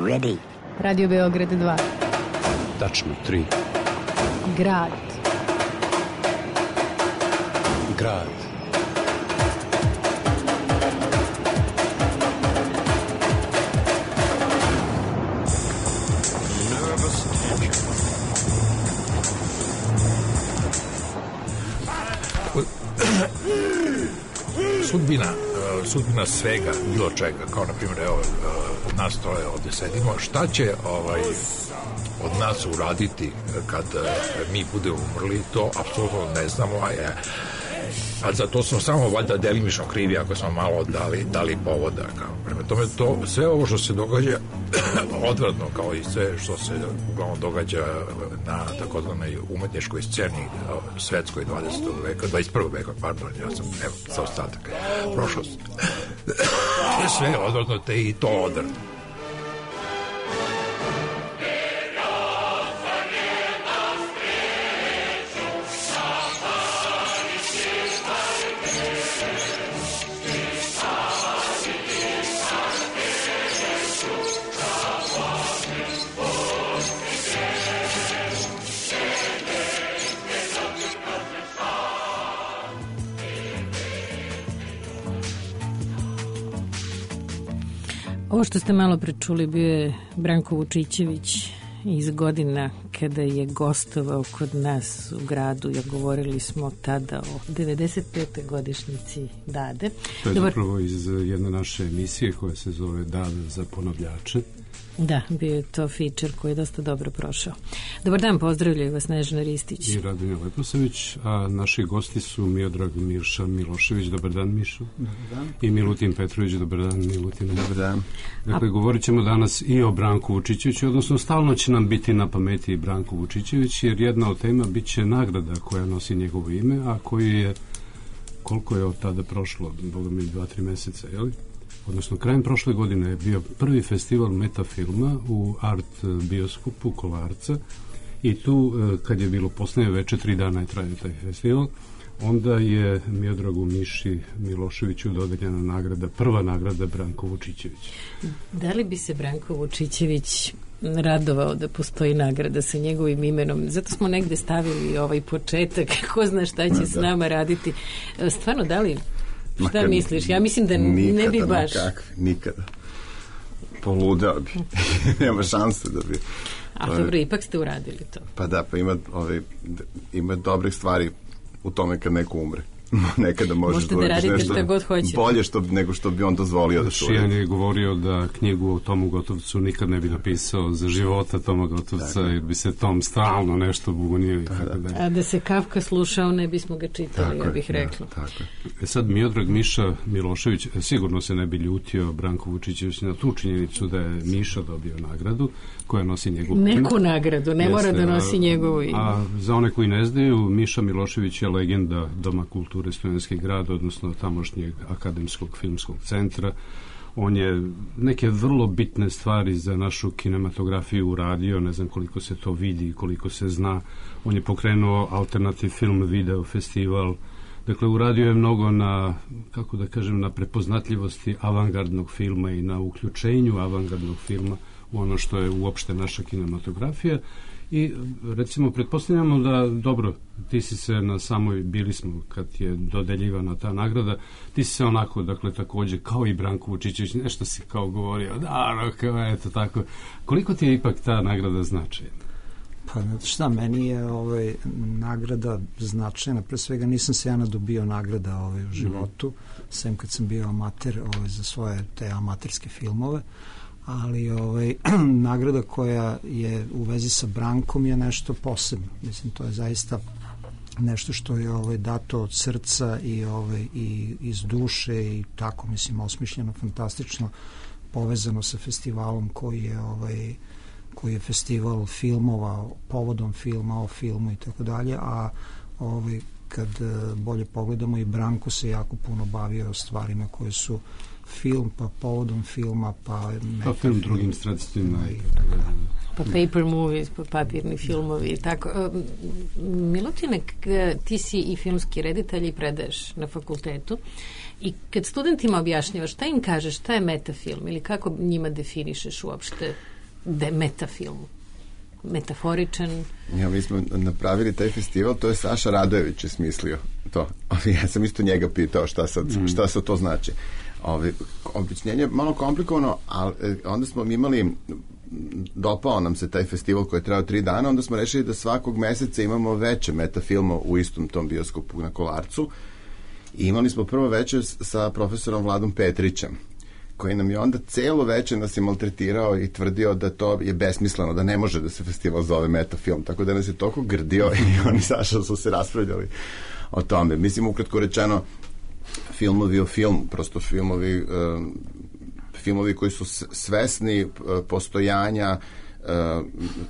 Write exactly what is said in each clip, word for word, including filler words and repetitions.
Ready. Radio Beograd dva. Tačno tri. Grad. Grad. Sudbina, sudbina svega, bilo čega, kao na primjer, evo, nas troje ovdje sedimo, šta će ovaj, od nas uraditi kad mi budemo umrli, to apsolutno ne znamo, a je a za to smo samo valjda delimično krivi ako smo malo dali, dali povoda. Kao. Prema tome, to, sve ovo što se događa odvratno, kao i sve što se uglavnom događa na takozvanoj umetničkoj sceni svetskoj dvadesetog veka, dvadeset prvog veka, pardon, ja sam, evo, sa ostatak, prošlost. Sve je odvratno, te i to odvratno. Ovo što ste malo prečuli bio je Branko Vučićević iz godina kada je gostovao kod nas u gradu. Ja govorili smo tada o devedeset pete godišnjici Dade. To je Dobar... zapravo iz jedne naše emisije koja se zove Dada za ponavljače. Da, bio je to feature koji je dosta dobro prošao. Dobar dan, pozdravljaju vas Snežana Ristić i Radonja Leposavić, a naši gosti su Miodrag Mirša Milošević. Dobar dan, Mišo. Dobar dan. I Milutin Petrović. Dobar dan, Milutin. Dobar dan. Dakle, govorit ćemo danas i o Branku Vučićeviću, odnosno stalno će nam biti na pameti i Branko Vučićević, jer jedna od tema bit će nagrada koja nosi njegovo ime, a koji je, koliko je od tada prošlo, boga mi dva, tri meseca, je li? Odnosno, krajem prošle godine je bio prvi festival metafilma u Art bioskopu Kolarca i tu, kad je bilo posljednje veče, tri dana je trajao taj festival, onda je Miodragu Miši Miloševiću dodeljena nagrada, prva nagrada Branko Vučićević. Da li bi se Branko Vučićević radovao da postoji nagrada sa njegovim imenom? Zato smo negde stavili ovaj početak, ko zna šta će s nama raditi. Stvarno, da li... Šta Makar, misliš? Ja mislim da nikada, ne bi baš... Nikakvi, nikada. Poludeo bi. Nema šanse da bi... A dobro, ipak ste uradili to. Pa da, pa ima, ovaj, ima dobrih stvari u tome kad neko umre. Nekada možeš možete da radite šta god hoćete. Bolje što, nego što bi on dozvolio da se uredi. Šijan je govorio da knjigu o Tomu Gotovcu nikad ne bi napisao za života Toma Gotovca, jer bi se Tom stalno nešto bugunio i tako da. A da se Kafka slušao, ne bismo ga čitali, tako ja bih rekla. Da, tako je. E sad, Miodrag Miša Milošević sigurno se ne bi ljutio Branko Vučićević na tu činjenicu da je Miša dobio nagradu koja nosi njegovu ime. Neku nagradu, ne mora da nosi njegovu ime. A za one koji ne znaju, Miša Milošević je legenda Doma kulture Studentski grad, odnosno tamošnjeg akademskog filmskog centra. On je neke vrlo bitne stvari za našu kinematografiju uradio, ne znam koliko se to vidi, koliko se zna. On je pokrenuo Alternativ film video festival. Dakle, uradio je mnogo na, kako da kažem, na prepoznatljivosti avangardnog filma i na uključenju avangardnog filma u ono što je uopšte naša kinematografija. I recimo pretpostavljamo da, dobro, ti si se na samoj, bili smo kad je dodeljivana ta nagrada, ti si se onako, dakle, takođe kao i Branko Vučićević, nešto si kao govorio, da, kao, eto tako. Koliko ti je ipak ta nagrada značajna? Pa šta, meni je ovaj, nagrada značajna, pre svega nisam se ja nadobio nagrada ovaj, u životu, mm. sem kad sam bio amater ovaj, za svoje te amaterske filmove, ali ovaj, nagrada koja je u vezi sa Brankom je nešto posebno. Mislim, to je zaista nešto što je ovaj, dato od srca i, ovaj, i iz duše i tako, mislim, osmišljeno, fantastično, povezano sa festivalom koji je ovaj, koji je festival filmova, povodom filma, o filmu i tako dalje, a ovaj, kad bolje pogledamo i Branko se jako puno bavio stvarima koje su film, pa povodom filma, pa... Pa film drugim sredstvima. pa paper movies, pa papirni filmovi i tako. Milutine, ti si i filmski reditelj i predaješ na fakultetu i kad studentima objašnjavaš, šta im kažeš, šta je metafilm ili kako njima definišeš uopšte da je metafilm? Metaforičan. Ja, mi smo napravili taj festival, to je Saša Radojević je smislio to. Ja sam isto njega pitao šta sad, mm. šta sad to znači. Ove, objašnjenje je malo komplikovano, ali onda smo imali, dopao nam se taj festival koji je trajao tri dana, onda smo rešili da svakog meseca imamo veće metafilma u istom tom bioskopu na Kolarcu i imali smo prvo veče sa profesorom Vladom Petrićem, koji nam je onda celo veče nas je maltretirao i tvrdio da to je besmisleno, da ne može da se festival zove metafilm, tako da nas je toliko grdio i oni Saša su se raspravljali o tome. Mislim, ukratko rečeno, filmovi o filmu, prosto filmovi uh, filmovi koji su svesni uh, postojanja uh,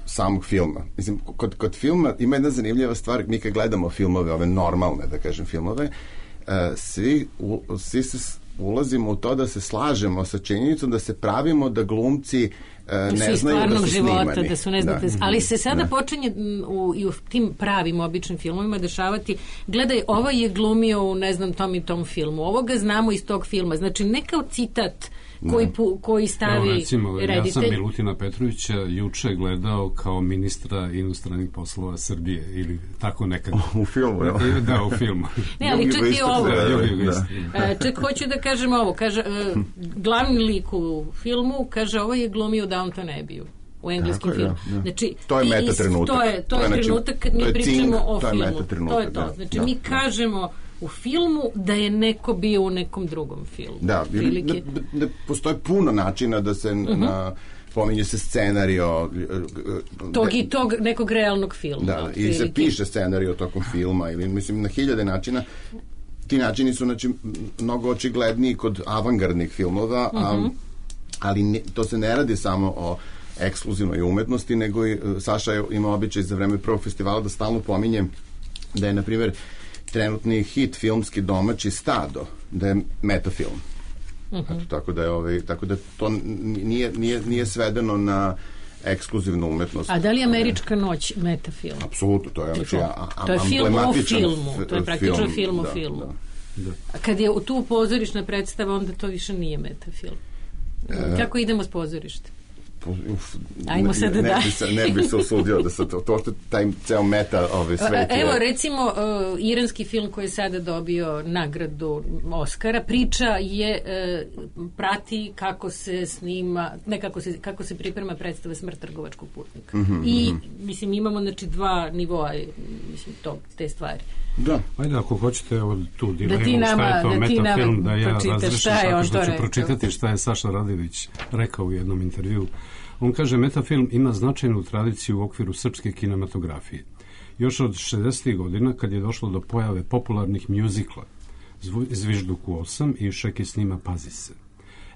samog filma. Mislim, kod, kod filma ima jedna zanimljiva stvar, mi kad gledamo filmove, ove normalne, da kažem, filmove, uh, svi, u, svi se ulazimo u to da se slažemo sa činjenicom da se pravimo da glumci uh, ne znaju da su života, snimani. Da su ne znate, da. Ali se sada da. počinje u, i u tim pravim običnim filmovima dešavati, gledaj, ovo je glumio u ne znam tom i tom filmu, ovoga znamo iz tog filma, znači ne kao citat koji, pu, koji stavi Evo, recimo, reditelj. Ja sam Milutina Petrovića juče gledao kao ministra inostranih poslova Srbije ili tako nekako. U filmu, ja. Da, u filmu. Ne, ali čak i ovo. Da, da, da. Čak hoću da kažem ovo. Kaže, uh, glavni lik u filmu, kaže, ovo je glumio Downton Abbey-u u engleskom tako, filmu. Ja, ja. Znači, to je meta trenutak. To je, to je, to je trenutak kad mi pričamo cink, o to filmu. Je to je to. Da, znači, da, mi da. kažemo u filmu da je neko bio u nekom drugom filmu. Da, da, da postoje puno načina da se uh-huh. na, pominje se scenario tog de, i tog nekog realnog filma. Da, ili se piše scenario tokom filma ili mislim na hiljade načina. Ti načini su znači, mnogo očigledniji kod avangardnih filmova, uh-huh. a, ali ne, to se ne radi samo o ekskluzivnoj umetnosti, nego i Saša ima običaj za vreme prvog festivala da stalno pominje da je, na primjer, trenutni hit filmski domaći Stado, da je metafilm. Uh-huh. Eto, tako da je ovaj, tako da to nije, nije, nije svedeno na ekskluzivnu umetnost. A da li je Američka noć metafilm? Apsolutno, to je, znači, a, a, to je film o filmu, f- to je praktično film, film o da, filmu. Da, da. A kad je tu pozorišna predstava, onda to više nije metafilm. E, Kako idemo s pozorište? Uf, Ajmo ne, sada ne, da. Ne bi se, ne bi se usudio da se to, to što taj ceo meta ove svet je... Evo, recimo, uh, iranski film koji je sada dobio nagradu Oscara, priča je, uh, prati kako se snima, ne kako se, kako se priprema predstava Smrt trgovačkog putnika. Mm-hmm, I, mm-hmm. mislim, imamo, znači, dva nivoa, mislim, to, te stvari. Da. Ajde, ako hoćete evo, tu dilemu, da ti nama, šta je to da metafilm, da ja razlišim tako što ću pročitati šta je Saša Radojević rekao u jednom intervju. On kaže, metafilm ima značajnu tradiciju u okviru srpske kinematografije. Još od šezdesetih godina, kad je došlo do pojave popularnih mjuzikla Zvižduku osam i Šeki snima Pazi se.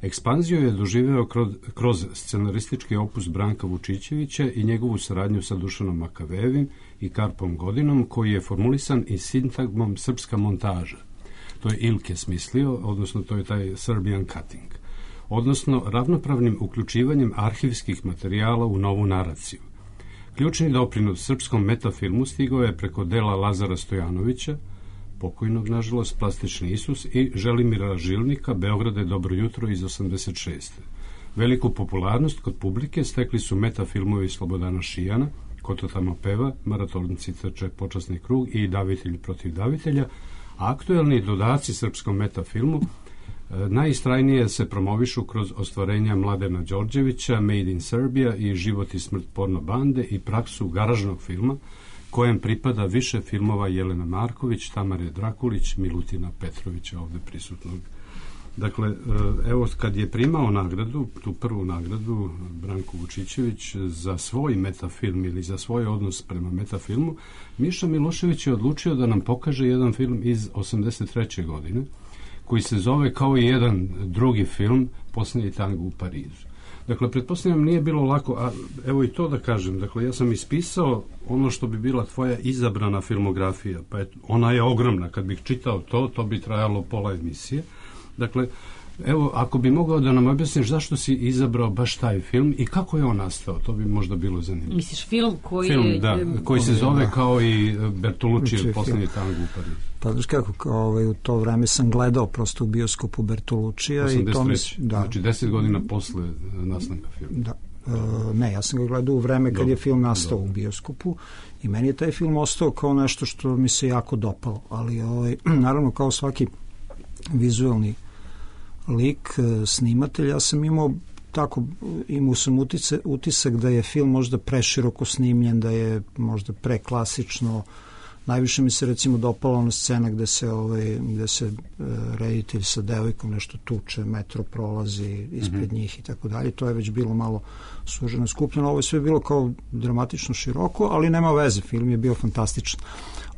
Ekspanziju je doživeo kroz, kroz scenaristički opus Branka Vučićevića i njegovu saradnju sa Dušanom Makavejevim i Karpom Godinom, koji je formulisan i sintagmom srpska montaža. To je Ilke smislio, odnosno to je taj Serbian cutting, odnosno ravnopravnim uključivanjem arhivskih materijala u novu naraciju. Ključni doprinos srpskom metafilmu stigao je preko dela Lazara Stojanovića, pokojnog, nažalost, Plastični Isus, i Želimira Žilnika, Beograde dobro jutro iz osamdeset šeste. Veliku popularnost kod publike stekli su metafilmovi Slobodana Šijana, Ko to tamo peva, Maratonci trče počasni krug i Davitelj protiv davitelja, a aktuelni dodaci srpskom metafilmu najistrajnije se promovišu kroz ostvarenja Mladena Đorđevića, Made in Serbia i Život i smrt porno bande i praksu garažnog filma, kojem pripada više filmova Jelena Marković, Tamare Drakulić, Milutina Petrovića, ovde prisutnog. Dakle, evo, kad je primao nagradu, tu prvu nagradu, Branko Vučićević, za svoj metafilm ili za svoj odnos prema metafilmu, Miša Milošević je odlučio da nam pokaže jedan film iz osamdeset treće godine, koji se zove kao i jedan drugi film, Posljednji tango u Parizu. Dakle, pretpostavljam, nije bilo lako, a evo i to da kažem, dakle, ja sam ispisao ono što bi bila tvoja izabrana filmografija, pa je, ona je ogromna, kad bih čitao to, to bi trajalo pola emisije. Dakle, Evo, ako bi mogao da nam objasniš zašto si izabrao baš taj film i kako je on nastao, to bi možda bilo zanimljivo. Misliš film koji film, je... da, koji se zove da. Kao i Bertolucci, Poslednji tango u Parizu. Pa znaš kako, kao, ovaj, u to vreme sam gledao prosto u bioskopu Bertoluccija. osamdeset treće. I to mi, da. Znači deset godina posle nastanka filma. Da. Uh, ne, ja sam ga gledao u vreme kad Dobre. je film nastao Dobre. u bioskopu i meni je taj film ostao kao nešto što mi se jako dopalo, ali ovaj, naravno kao svaki vizualni lik, snimatelj, ja sam imao tako, imao sam utice, utisak da je film možda preširoko snimljen, da je možda preklasično. Najviše mi se recimo dopala ona scena gde se, ovaj, gde se uh, reditelj sa devojkom nešto tuče, metro prolazi ispred mm-hmm. njih i tako dalje. To je već bilo malo suženo, skupljeno. Ovo je sve bilo kao dramatično široko, ali nema veze, film je bio fantastičan.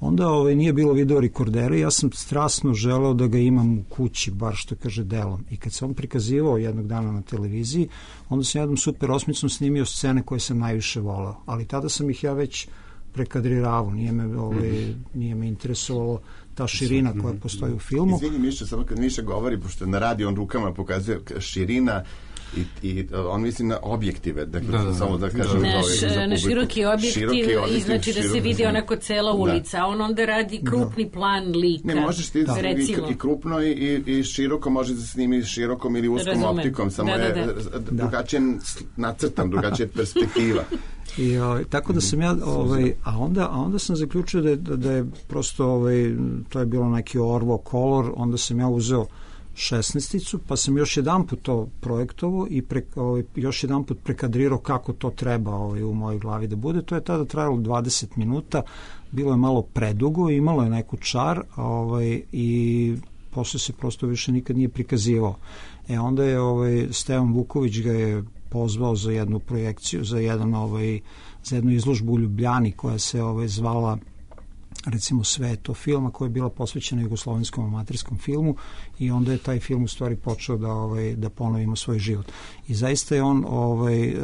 Onda ovaj, nije bilo video rekordera i ja sam strasno želeo da ga imam u kući, bar što kaže delom. I kad se on prikazivao jednog dana na televiziji, onda sam jednom super osmicom snimio scene koje sam najviše voleo. Ali tada sam ih ja već prekadriravao, nije me, ovaj, nije me interesovalo ta širina koja postoji u filmu. Izvini Miša, samo kad Miša govori, pošto na radi on rukama pokazuje širina i, i on misli na objektive, dakle, da, da, samo da kažem. Na, š, na široki objektiv, široki objektiv znači da se vidi onako cela ulica, da. a on onda radi krupni da. plan lika. Ne, možeš ti da. i, i krupno i, i, i široko, može da se snimi širokom ili uskom Razumem. optikom, samo da, da, da. je drugačije nacrtan, drugačija perspektiva. I ovaj, tako da sam ja ovaj, a onda a onda sam zaključio da je, da, da je prosto ovaj, to je bilo neki Orvo kolor, onda sam ja uzeo šesnaesticu, pa sam još jedan put to projektovao i pre, ovaj, još jedan put prekadrirao kako to treba ovaj, u mojoj glavi da bude. To je tada trajalo dvadeset minuta, bilo je malo predugo, imalo je neku čar ovaj, i posle se prosto više nikad nije prikazivao. E onda je ovaj, Stevan Vuković ga je pozvao za jednu projekciju, za jedan ovaj za jednu izložbu u Ljubljani koja se ovaj zvala recimo Sveto filma, koja je bila posvećena jugoslovenskom amaterskom filmu i onda je taj film u stvari počeo da ovaj da ponovimo svoj život. I zaista je on ovaj uh,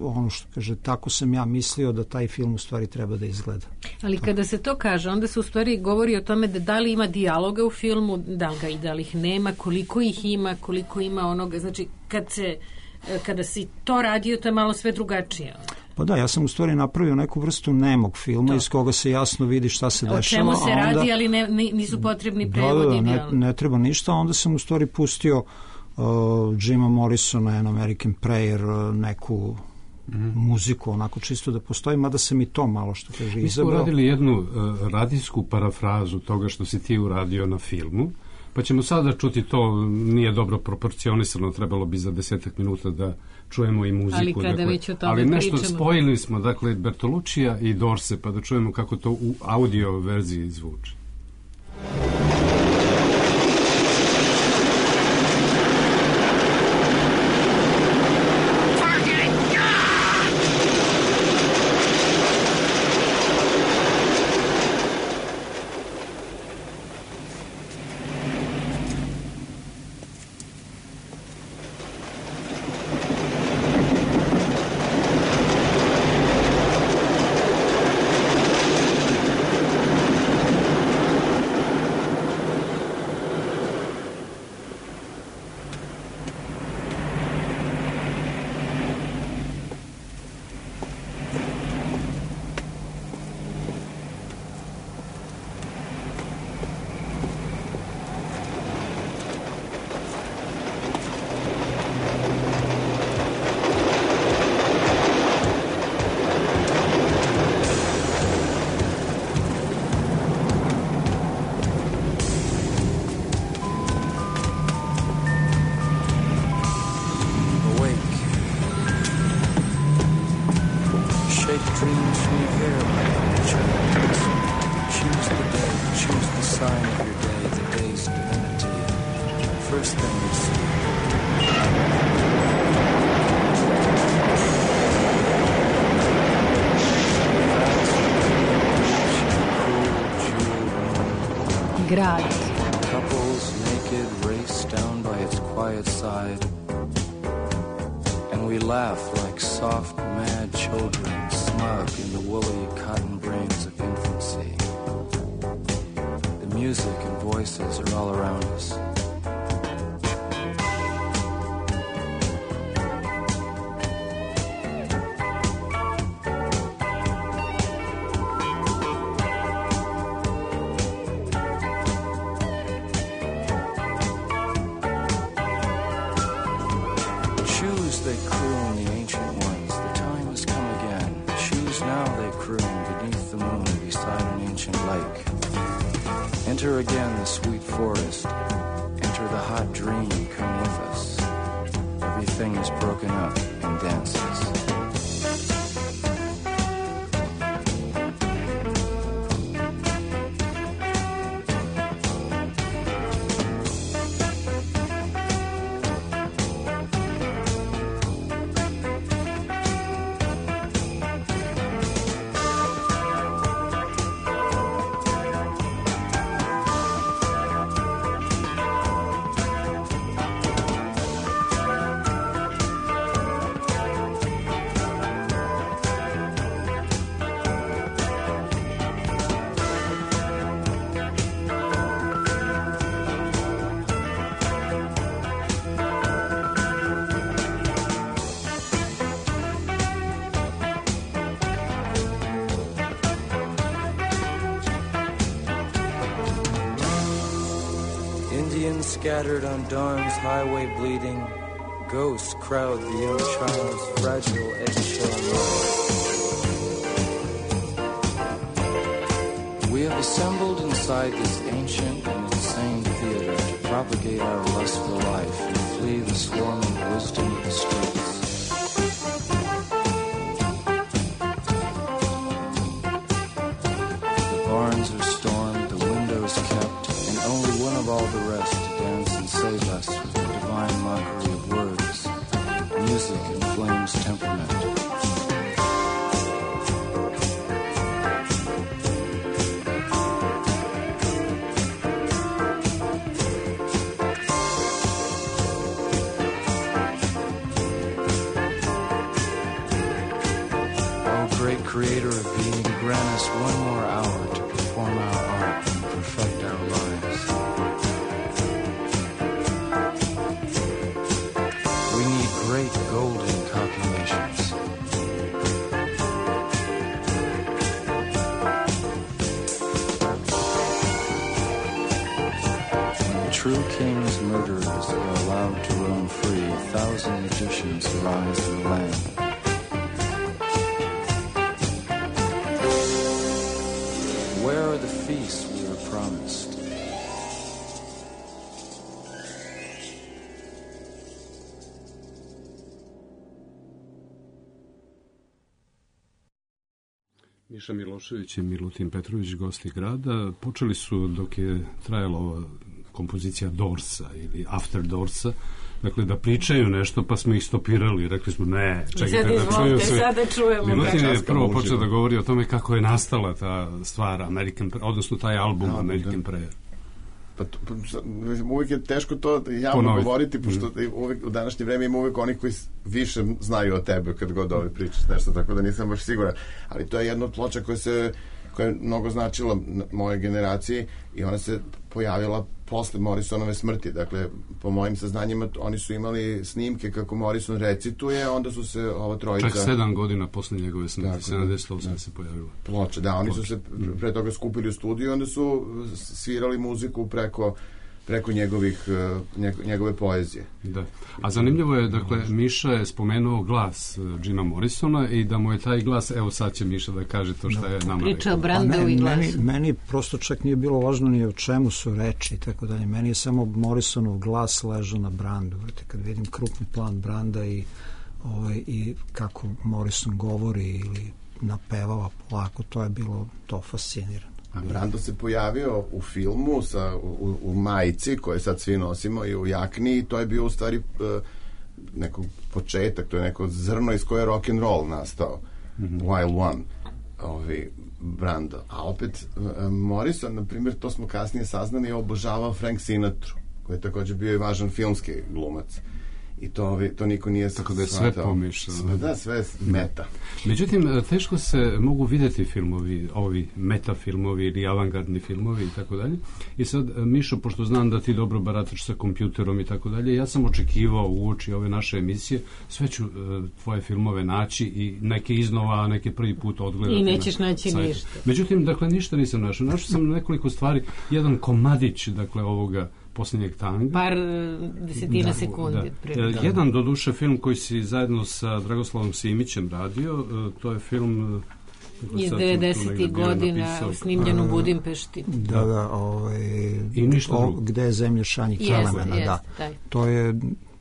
ono što kaže, tako sam ja mislio da taj film u stvari treba da izgleda. Ali to. Kada se to kaže, onda se u stvari govori o tome da da li ima dijaloga u filmu, da li ga i da li ih nema, koliko ih ima, koliko ima onoga, znači kad se kada si to radio, to je malo sve drugačije. Pa da, ja sam u stvari napravio neku vrstu nemog filma to. iz koga se jasno vidi šta se dešava. O čemu se onda, radi, ali ne, nisu potrebni prevodi. Da, da, ne, ne treba ništa, onda sam u stvari pustio uh, Jima Morrisona and American Prayer, uh, neku mm. muziku, onako čisto da postoji, mada sam i to malo što kaže izabrao. Mi smo uradili jednu uh, radijsku parafrazu toga što si ti uradio na filmu, pa ćemo sada čuti to, nije dobro proporcionisano, trebalo bi za desetak minuta da čujemo i muziku. Ali kada dakle, već o tome ali nešto pričamo. spojili smo, dakle, Bertoluccija i Dorse, pa da čujemo kako to u audio verziji zvuči. Grad. Couples naked race down by its quiet side, and we laugh like soft, mad children, smug in the woolly cotton brains of infancy. The music and voices are all around us. Enter again the sweet forest. Enter the hot dream, come with us. Everything is broken up in dances. Scattered on dawn's highway bleeding, ghosts crowd the young child's fragile eggshell mind. We have assembled inside this ancient and insane theater to propagate our lust for life and flee the swarming wisdom of the streets. The barns are stormed, the windows kept, and only one of all the rest save us with the divine mockery of words. Music inflames temperament. Oh, great creator of being, grant us one more hour to perform our art and perfect our lives. Great golden copulations. When the true king's murderers are allowed to roam free, a thousand magicians arise in the land. Where are the feasts we were promised? Miša Milošević i Milutin Petrović, gosti grada, počeli su dok je trajala ova kompozicija Dorsa ili After Dorsa, dakle da pričaju nešto, pa smo ih stopirali, rekli smo ne, čekajte da čuju sve. Sada čujemo. Milutin je prvo počeo da govori o tome kako je nastala ta stvar American, odnosno taj album no, American da. Prayer. Pa, pa uvijek je teško to javno Ponoviti. govoriti, pošto mm. uvijek, u današnje vreme ima uvijek onih koji više znaju o tebe kad god ove pričaš nešto, tako da nisam baš siguran. Ali to je jedna od ploča koja se koja je mnogo značila moje generaciji i ona se pojavila posle Morrisonove smrti. Dakle, po mojim saznanjima oni su imali snimke kako Morrison recituje, onda su se ova trojica... Čak sedam godina posle njegove smrti, sedamdeset osam se pojavila. Ploča, da, oni Ploča. su se pre toga skupili u studiju i onda su svirali muziku preko preko njegovih, njegove poezije. Da. A zanimljivo je, dakle, Miša je spomenuo glas Jima Morrisona i da mu je taj glas, evo sad će Miša da kaže to što je nama pričao Brandov i glas. Meni, meni prosto čak nije bilo važno ni o čemu su reči, tako dalje. Meni je samo Morrisonov glas ležao na Brandu. Vrte, kad vidim krupni plan Branda i, ovaj, i kako Morrison govori ili napevava polako, to je bilo to fascinirano. A Brando se pojavio u filmu sa, u, u majici koje sad svi nosimo i u jakni i to je bio u stvari uh, neko početak, to je neko zrno iz koje je rock and roll nastao. Mm-hmm. Wild One, ovi Brando. A opet uh, Morrison, na primjer, to smo kasnije saznali, je obožavao Frank Sinatru, koji je također bio i važan filmski glumac. I to, to niko nije tako da je sve pomišljeno. Da, sve je meta. Međutim, teško se mogu vidjeti filmovi, ovi meta filmovi ili avangardni filmovi i tako dalje. I sad, Mišo, pošto znam da ti dobro barataš sa kompjuterom i tako dalje, ja sam očekivao uoči ove naše emisije, sve ću uh, tvoje filmove naći i neke iznova, neke prvi put odgledati. I nećeš na naći sajtu. Ništa. Međutim, dakle, ništa nisam našao. Našao sam nekoliko stvari, jedan komadić, dakle, ovoga posljednjeg tanga. Par desetina da, sekundi. Da. Jedan, do duše, film koji si zajedno sa Dragoslavom Simićem radio, to je film Iz devedesetih godina snimljen u Budimpešti. Da, da, ovaj, I ništa o, gde je zemlja šanjih kelemena, jest, da. taj. To je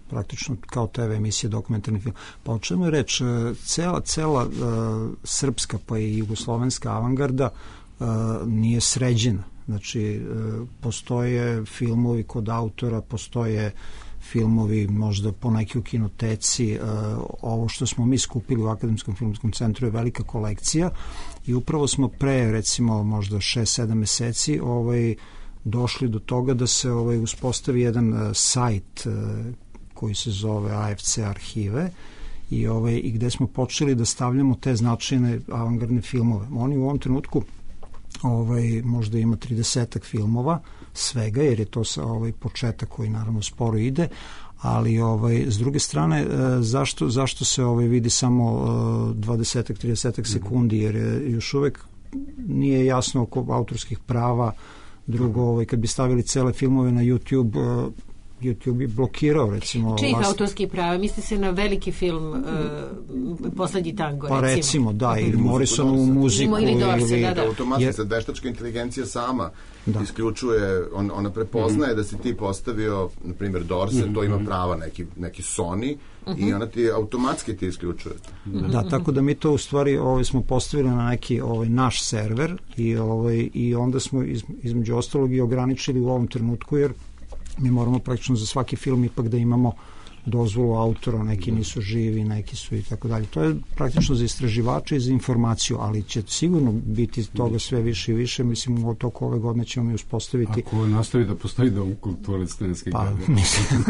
praktično kao te ve emisije, dokumentarni film. Pa o čemu je reč? Cela, cela uh, srpska pa i jugoslovenska avangarda uh, nije sređena. Znači, uh, postoje filmovi kod autora, postoje filmovi možda poneki u kinoteci. Uh, ovo što smo mi skupili u Akademskom filmskom centru je velika kolekcija i upravo smo pre, recimo, možda šest sedam meseci ovaj, došli do toga da se ovaj, uspostavi jedan uh, sajt uh, koji se zove A F C arhive i, ovaj, i gde smo počeli da stavljamo te značajne avangardne filmove. Oni u ovom trenutku ovaj, možda ima tridesetak filmova svega, jer je to sa, ovaj, početak koji naravno sporo ide, ali ovaj, s druge strane zašto, zašto se ovaj, vidi samo dvadesetak tridesetak sekundi, jer je još uvek nije jasno oko autorskih prava. Drugo, ovaj, kad bi stavili cele filmove na YouTube, YouTube bi blokirao, recimo... Čijih vlast... autorskih prava? Misli se na veliki film uh, Poslednji tango, recimo? Pa recimo, da, ili Morrisonovu muziku. Ili Dorse, ili... da, da. Automatski Je... se veštačka inteligencija sama da. isključuje, on, ona prepoznaje mm. da si ti postavio, na primjer, Dorse, mm. to ima prava neki, neki Sony, mm-hmm. i ona ti automatski ti isključuje. Mm-hmm. Da, tako da mi to u stvari ovaj, smo postavili na neki ovaj, naš server i, ovaj, i onda smo iz, između ostalog i ograničili u ovom trenutku, jer mi moramo praktično za svaki film ipak da imamo dozvolu autora, neki nisu živi, neki su i tako dalje. To je praktično za istraživače i za informaciju, ali će sigurno biti toga sve više i više. Mislim, u toku ove godine ćemo mi uspostaviti... Ako nastavi da postoji Dom kulture Studenske pa, grade. Mislim,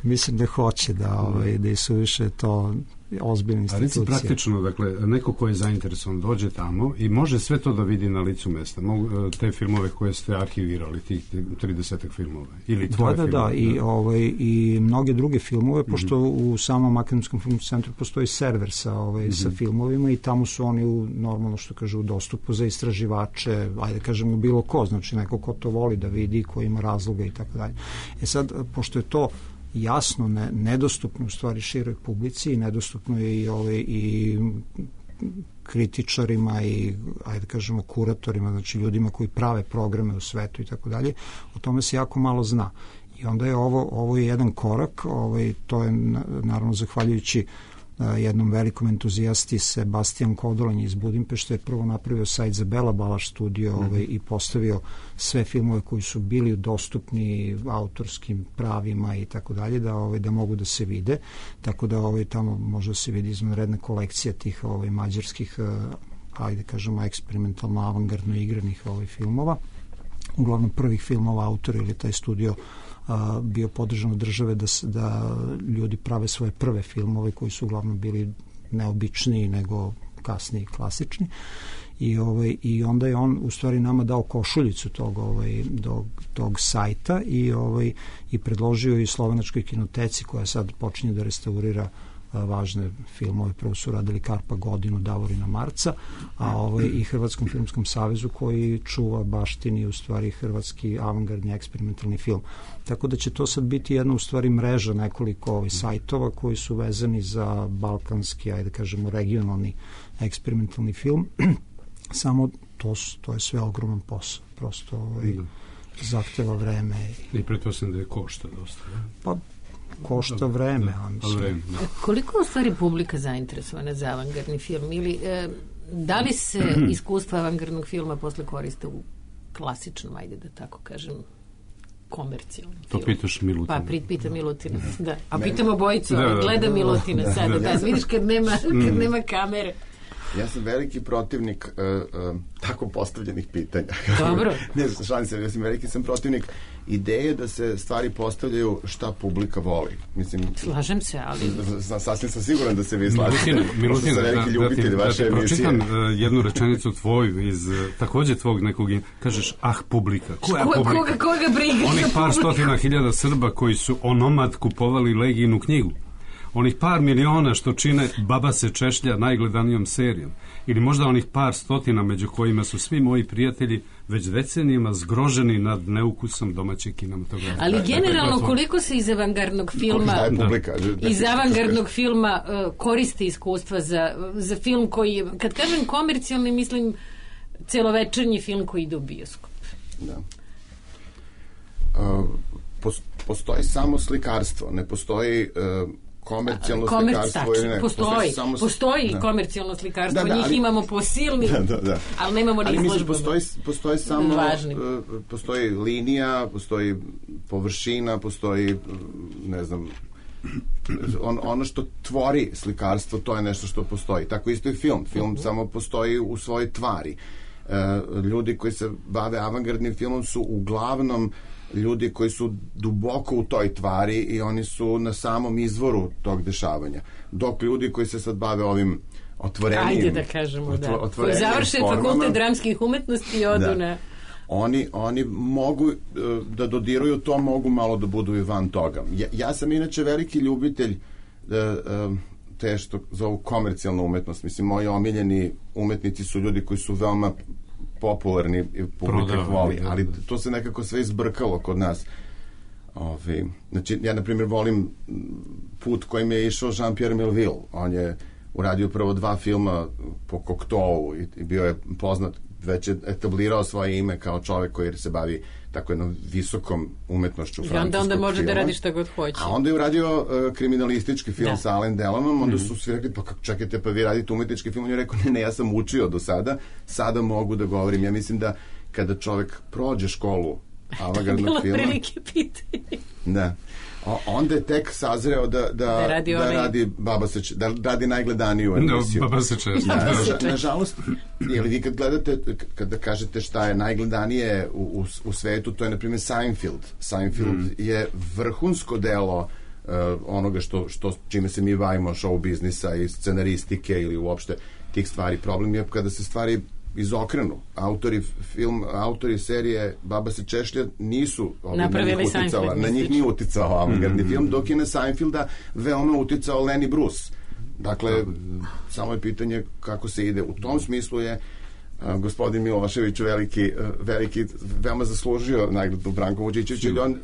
mislim da hoće da, ovaj, da su više to ozbiljne institucije. A reci praktično, dakle, neko ko je zainteresovan dođe tamo i može sve to da vidi na licu mesta. Mogu te filmove koje ste arhivirali, tih tridesetak filmova. Ili tvoje da, da, filmove. Da, i, ovaj, i mnoge druge filmove, pošto mm-hmm. u samom Akademskom filmskom centru postoji server sa, ovaj, mm-hmm. sa filmovima i tamo su oni u, normalno što kažu, u dostupu za istraživače, ajde kažemo bilo ko, znači neko ko to voli da vidi, ko ima razloga i tako dalje. E sad, pošto je to jasno ne, nedostupno u stvari široj publici i nedostupno je i, ove, i kritičarima i ajde kažemo kuratorima, znači ljudima koji prave programe u svetu i tako dalje, o tome se jako malo zna. I onda je ovo, ovo je jedan korak, ovaj, to je naravno zahvaljujući jednom velikom entuzijasti Sebastian Kodolanj iz Budimpešte je prvo napravio sajt za Bela Balaš studio mm-hmm. ovaj, i postavio sve filmove koji su bili dostupni autorskim pravima i tako dalje da ovaj, da mogu da se vide, tako da ovaj, tamo može da se vidi izvanredna kolekcija tih ovaj, mađarskih ajde kažemo eksperimentalno avangardno igranih ovaj, filmova, uglavnom prvih filmova autora ili taj studio a, bio podržan od države da, da ljudi prave svoje prve filmove koji su uglavnom bili neobičniji nego kasniji klasični i, ovaj, i onda je on u stvari nama dao košuljicu tog, ovaj, do, tog sajta i, ovaj, i predložio i Slovenačkoj kinoteci koja sad počinje da restaurira važne filmove, prvo su radili Karpa godinu, Davorina Marca, a ovaj, i Hrvatskom filmskom savezu koji čuva baštini u stvari hrvatski avangardni eksperimentalni film. Tako da će to sad biti jedna u stvari mreža nekoliko ovaj, sajtova koji su vezani za balkanski, ajde kažemo regionalni eksperimentalni film. Samo to, to je sve ogroman posao. Prosto ovaj, zahteva vreme. I pretpostavljam da je košta dosta. Ne? Pa košta vreme, a mislim. Vreme, da. Koliko je u stvari publika zainteresovana za avangardni film? Ili e, da li se iskustva avangardnog filma posle koriste u klasičnom, ajde da tako kažem, komercijalnom to filmu? To pitaš Milutina. Pa pita Milutina, da. A pitamo Bojicu, da, da, gleda Milutina da, sada. da, da. Da, vidiš kad nema, kad nema kamere. Ja sam veliki protivnik uh, uh, tako postavljenih pitanja. Dobro. Ne, šalim se, ja sam veliki sam protivnik ideje da se stvari postavljaju šta publika voli. Mislim, slažem se, ali... Sasvim sam siguran da se vi slažete. Milutina, Milutina, sam veliki ljubitelj da, vaše da, da emisije. pročitam uh, jednu rečenicu tvoju iz uh, takođe tvog nekog, kažeš, ah, publika. Koja Ko, publika? Koga, koga briga? Onih par stotina hiljada Srba koji su onomad kupovali Legijinu knjigu. onih par miliona što čine Baba se češlja najgledanijom serijom, ili možda onih par stotina među kojima su svi moji prijatelji već decenijima zgroženi nad neukusom domaće kinematografije. Ali generalno koliko se iz avangardnog filma iz avangardnog filma uh, koristi iskustva za, za film koji, kad kažem komercijalni, mislim celovečernji film koji ide u bioskop. Da. Uh, postoji samo slikarstvo, ne postoji uh, komercijalno Komerc, slikarstvo ili ne. Postoji, postoji, samo, postoji da. komercijalno slikarstvo, da, da, njih ali, imamo po silni, da, da, da. ali nemamo ni izložbama. Postoji, postoji samo, uh, postoji linija, postoji površina, postoji, ne znam, on, ono što tvori slikarstvo, to je nešto što postoji. Tako isto i film. Film uh-huh. samo postoji u svojoj tvari. Uh, ljudi koji se bave avangardnim filmom su uglavnom ljudi koji su duboko u toj tvari i oni su na samom izvoru tog dešavanja. Dok ljudi koji se sad bave ovim otvorenim... Ajde da kažemo, da. Koji završe fakultet dramskih umetnosti i odu da. na... Oni, oni mogu da dodiruju to, mogu malo da budu i van toga. Ja, ja sam inače veliki ljubitelj te što zovu komercijalnu umetnost. Mislim, moji omiljeni umetnici su ljudi koji su veoma popularni i publika voli, ali to se nekako sve izbrkalo kod nas. Ove, znači, ja na primjer volim put kojim je išao Jean-Pierre Melville. On je uradio prvo dva filma po Cocteau i, i bio je poznat, već je etablirao svoje ime kao čovek koji se bavi tako jednom visokom umetnošću francuskog filma. I onda, onda može filma. Da radi šta god hoće. A onda je uradio uh, kriminalistički film da. sa Alain Delonom, onda su svi rekli, pa čekajte, pa vi radite umetnički film. On je rekao, ne, ne, ja sam učio do sada, sada mogu da govorim. Ja mislim da kada čovek prođe školu avangardnog filma... Bilo prilike pitanje. Da. O, onda je tek sazreo da, da, da, radi, da, radi, baba se, da radi najgledaniju emisiju. No, baba se češlja. Da, na, nažalost, ili vi kad gledate, kada kažete šta je najgledanije u, u, u svetu, to je, na primjer, Seinfeld. Seinfeld mm. je vrhunsko delo uh, onoga što, što, čime se mi bavimo, show biznisa i scenaristike ili uopšte tih stvari. Problem je kada se stvari izokrenu. Autori film, autori serije Baba se češlja nisu napravili Seinfeld. Na njih nije uticao avangardni mm-hmm. film, dok je na Seinfelda veoma uticao Lenny Bruce. Dakle, samo je pitanje kako se ide. U tom smislu je uh, gospodin Milošević veliki, uh, veliki, veoma zaslužio nagradu Branko Vučićević. On, uh,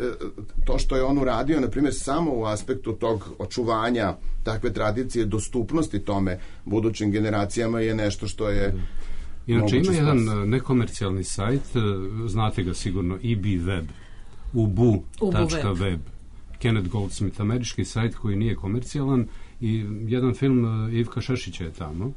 to što je on uradio, na primjer, samo u aspektu tog očuvanja takve tradicije, dostupnosti tome budućim generacijama je nešto što je inače ima jedan nekomercijalni sajt, znate ga sigurno, E B Web, ubu tačka web, Kenneth Goldsmith, američki sajt koji nije komercijalan i jedan film Ivka Šešića je tamo.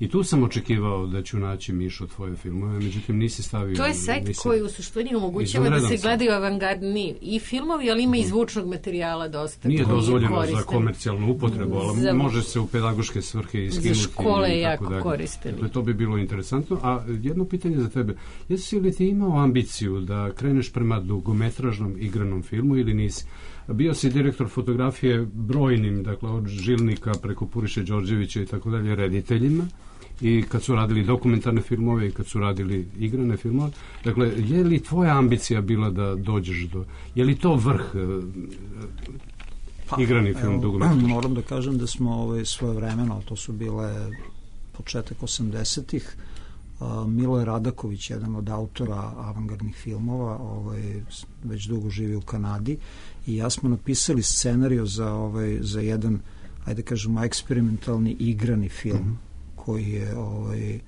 I tu sam očekivao da ću naći, Mišo, tvoje filmove, međutim nisi stavio... To je sajt nisi, koji u suštini omogućava da se gledaju avangardni i filmovi, ali ima i zvučnog materijala dosta. Nije dozvoljeno za komercijalnu upotrebu, ali za, može se u pedagoške svrhe iskinuti. Za škole je jako koristili. Dakle, to bi bilo interesantno. A jedno pitanje za tebe. Jesi li ti imao ambiciju da kreneš prema dugometražnom igranom filmu ili nisi? Bio si direktor fotografije brojnim, dakle, od Žilnika preko Puriše Đorđevića i tako dalje, rediteljima. I kad su radili dokumentarne filmove i kad su radili igrane filmove. Dakle, je li tvoja ambicija bila da dođeš do... Je li to vrh pa, igrani film dugometražni? Moram da kažem da smo ovaj, svoje vremeno, to su bile početak osamdesetih, uh, Miloje Radaković, jedan od autora avangardnih filmova, ovaj, već dugo živi u Kanadi, i ja smo napisali scenariju za, ovaj, za jedan, ajde kažemo, eksperimentalni igrani film, mm-hmm. koji je ovaj,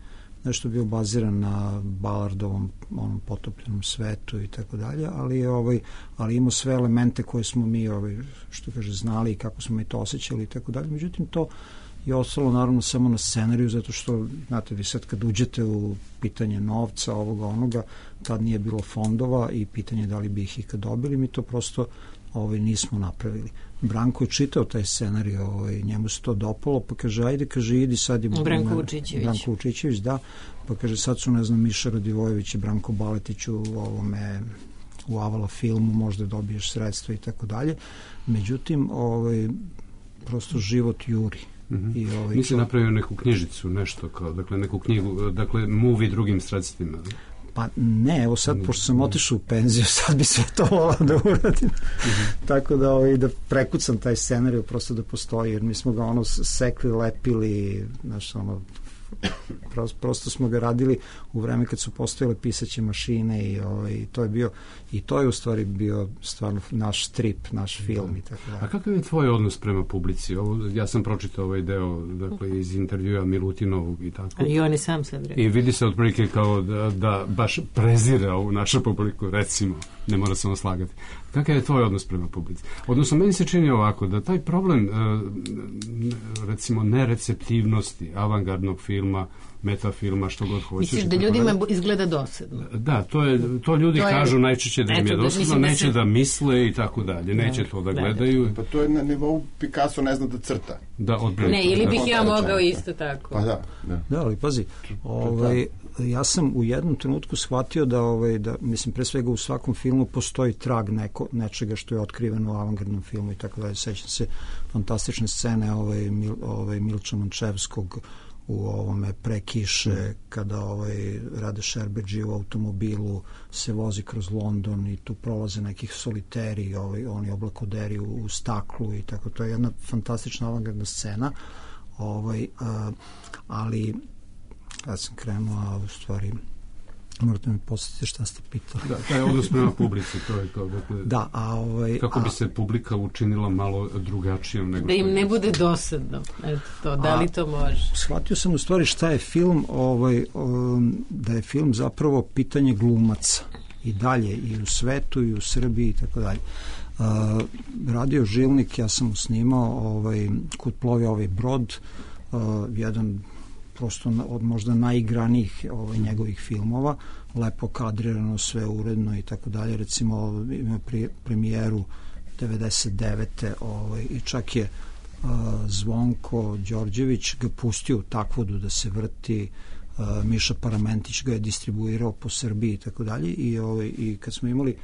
nešto bio baziran na Ballardovom onom potopljenom svetu i tako dalje, ali ovaj, ali imao sve elemente koje smo mi ovaj, što kaže, znali i kako smo mi to osjećali i tako dalje. Međutim, to je ostalo naravno samo na scenariju, zato što, znate, vi sad kad uđete u pitanje novca, ovoga, onoga, tad nije bilo fondova i pitanje da li bi ih ikad dobili, mi to prosto ovaj, nismo napravili. Branko je čitao taj scenarij, ovaj, njemu se to dopalo, pa kaže, ajde, kaže, idi sad. Branko Vučićević. Branko Vučićević, da. Pa kaže, sad su, ne znam, Miša Radivojević i Branko Baletić u ovome, u Avala filmu, možda dobiješ sredstva i tako dalje. Međutim, ovaj, prosto život juri. Mm-hmm. I ovaj, Nisi napravio neku knjižicu, nešto kao, dakle, neku knjigu, dakle, movie drugim sredstvima? Pa ne, evo sad, pošto sam otišao u penziju, sad bi sve to volao da uradim. Mm-hmm. Tako da, ovaj, da prekucam taj scenarij, prosto da postoji, jer mi smo ga ono sekli, lepili, znaš, ono, prosto, prosto smo ga radili u vreme kad su postojale pisaće mašine i ovaj, to je bio, i to je u stvari bio stvarno naš strip, naš film i tako da. A kakav je tvoj odnos prema publici? Ovo, ja sam pročitao ovaj deo, dakle, iz intervjua Milutinovog i tako. I on je sam sad rekao. I vidi se otprilike kao da, da baš prezira ovu našu publiku, recimo, ne mora se slagati. Kakav je tvoj odnos prema publici? Odnosno, meni se čini ovako, da taj problem, recimo, nereceptivnosti avangardnog filma, metafilma, što god hoćeš. Misliš da ljudima izgleda dosadno? Da, to, je, to ljudi to kažu je, najčešće da im je dosadno, da neće da, se... da misle i tako dalje, neće da, to da, da gledaju. Pa to je na nivou Picasso ne zna da crta. Da, odprilike. Ne, ili bih ja mogao isto tako. Pa da. Da, da ali pazi, ovaj, ja sam u jednom trenutku shvatio da, ovaj, da, mislim, pre svega u svakom filmu postoji trag neko, nečega što je otkriveno u avangardnom filmu i tako dalje. Sećam se fantastične scene ovaj, Mil, ovaj, Milča Mančevskog u ovome Pre kiše, kada ovaj Rade Šerbedži u automobilu se vozi kroz London i tu prolaze nekih soliteri, ovaj, oni oblakoderi u, u staklu i tako. To je jedna fantastična avangardna scena. Ovaj, a, ali ja sam krenuo, a u stvari morate mi podsjetiti šta ste pitali. Da, taj odnos prema publici, to je to. Dakle, da, a ovaj... Kako bi a, se publika učinila malo drugačijom nego... Da im ne bude dosadno. Eto to, da li to može? Shvatio sam u stvari šta je film, ovaj, um, da je film zapravo pitanje glumaca. I dalje, i u svetu, i u Srbiji, i tako dalje. Uh, radio Žilnik, ja sam snimao ovaj, Kud plovi ovaj brod, uh, jedan prosto od možda najigranijih ovaj, njegovih filmova, lepo kadrirano, sve uredno i tako dalje. Recimo ima pri, premijeru devedeset devete ovaj, i čak je uh, Zvonko Đorđević ga pustio u Takvodu da se vrti, uh, Miša Paramentić ga je distribuirao po Srbiji i tako dalje i, ovaj, i kad smo imali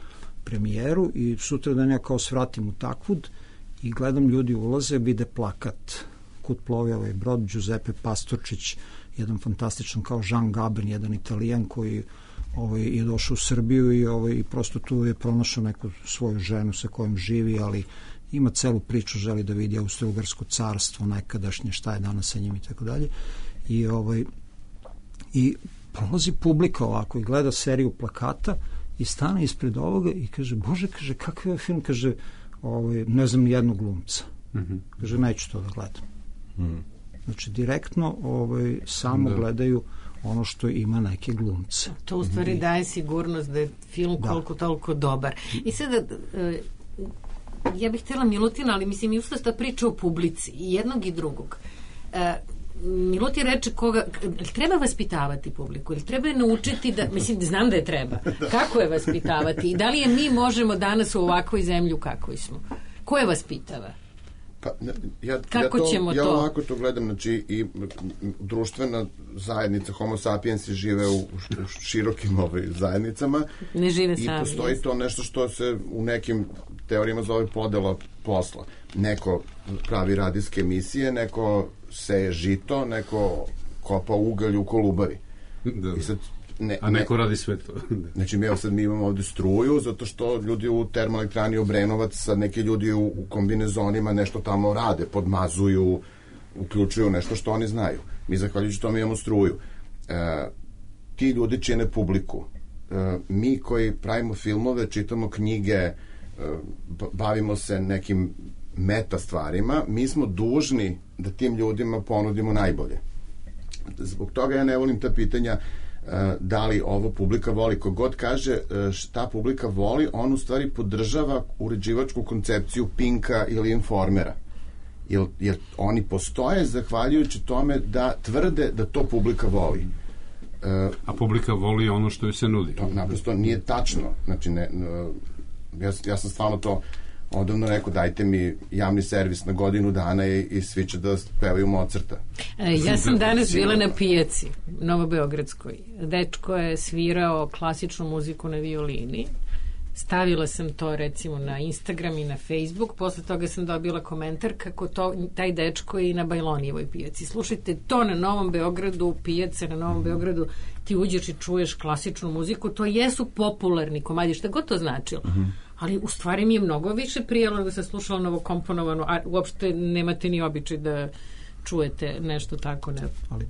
premijeru i sutra dan ja kao svratim u Takvud i gledam ljudi ulaze, vide plakat Kud plovi ovaj brod, Giuseppe Pastorčić, jedan fantastičan kao Jean Gabin, jedan Italijan koji ovaj, je došao u Srbiju i, ovaj, i prosto tu je pronašao neku svoju ženu sa kojom živi, ali ima celu priču, želi da vidi Austro-Ugarsko carstvo nekadašnje, šta je danas sa njim i tako dalje. I, ovaj, i prolazi publika ovako i gleda seriju plakata i stane ispred ovoga i kaže, Bože, kaže, kakav je film, kaže, ovaj, ne znam jednog glumca. Mm-hmm. Kaže, neću to da gledam. Mm. Znači, direktno ovaj, samo da. Gledaju ono što ima neke glumce. To u stvari mm-hmm. daje sigurnost da je film da. Koliko toliko dobar. I sada, e, ja bih htjela Milutina, ali mislim, usto ta priča o publici, i jednog i drugog. E, Milutin reče koga, treba vaspitavati publiku ili treba je naučiti da, mislim, znam da je treba. Kako je vaspitavati? I da li je mi možemo danas u ovakvoj zemlji u kakvoj smo? Ko je vaspitava? Pa, ja, Kako ja to, ćemo ja to? Ja ovako to gledam, znači i društvena zajednica Homo sapiensi žive u, u širokim ovaj, zajednicama. Ne žive sami. I postoji to nešto što se u nekim teorijama zove podela posla. Neko pravi radijske emisije, neko seje žito, neko kopa ugalj u Kolubari. Da. I sad Ne, a neko ne, radi sve to. Znači mi, sad mi imamo ovde struju zato što ljudi u termoelektrani Obrenovac, sad neki ljudi u, u kombinezonima nešto tamo rade, podmazuju, uključuju nešto što oni znaju. Mi zahvaljujući tome imamo struju. E, ti ljudi čine publiku. E, mi koji pravimo filmove, čitamo knjige, e, bavimo se nekim meta stvarima, mi smo dužni da tim ljudima ponudimo najbolje. Zbog toga ja ne volim ta pitanja da li ovo publika voli. Kogod kaže šta publika voli, on u stvari podržava uređivačku koncepciju Pinka ili Informera. Jer, jer oni postoje zahvaljujući tome da tvrde da to publika voli. A publika voli ono što joj se nudi. To naprosto nije tačno. Znači, ne, ja, ja sam stvarno to odavno rekao, dajte mi javni servis na godinu dana i, i svi će da pevaju Mozarta. E, ja sam danas bila na pijaci Novobeogradskoj. Dečko je svirao klasičnu muziku na violini stavila sam to recimo na Instagram i na Facebook, posle toga sam dobila komentar kako to, taj dečko je i na Bajlonijevoj pijaci. Slušajte, to na Novom Beogradu, pijace na Novom Beogradu, ti uđeš i čuješ klasičnu muziku, to jesu popularni komadi, šta god to značilo. Uh-huh. Ali u stvari mi je mnogo više prijelo nego sam slušala novokomponovanu, a uopšte nemate ni običaj da čujete nešto tako na ali,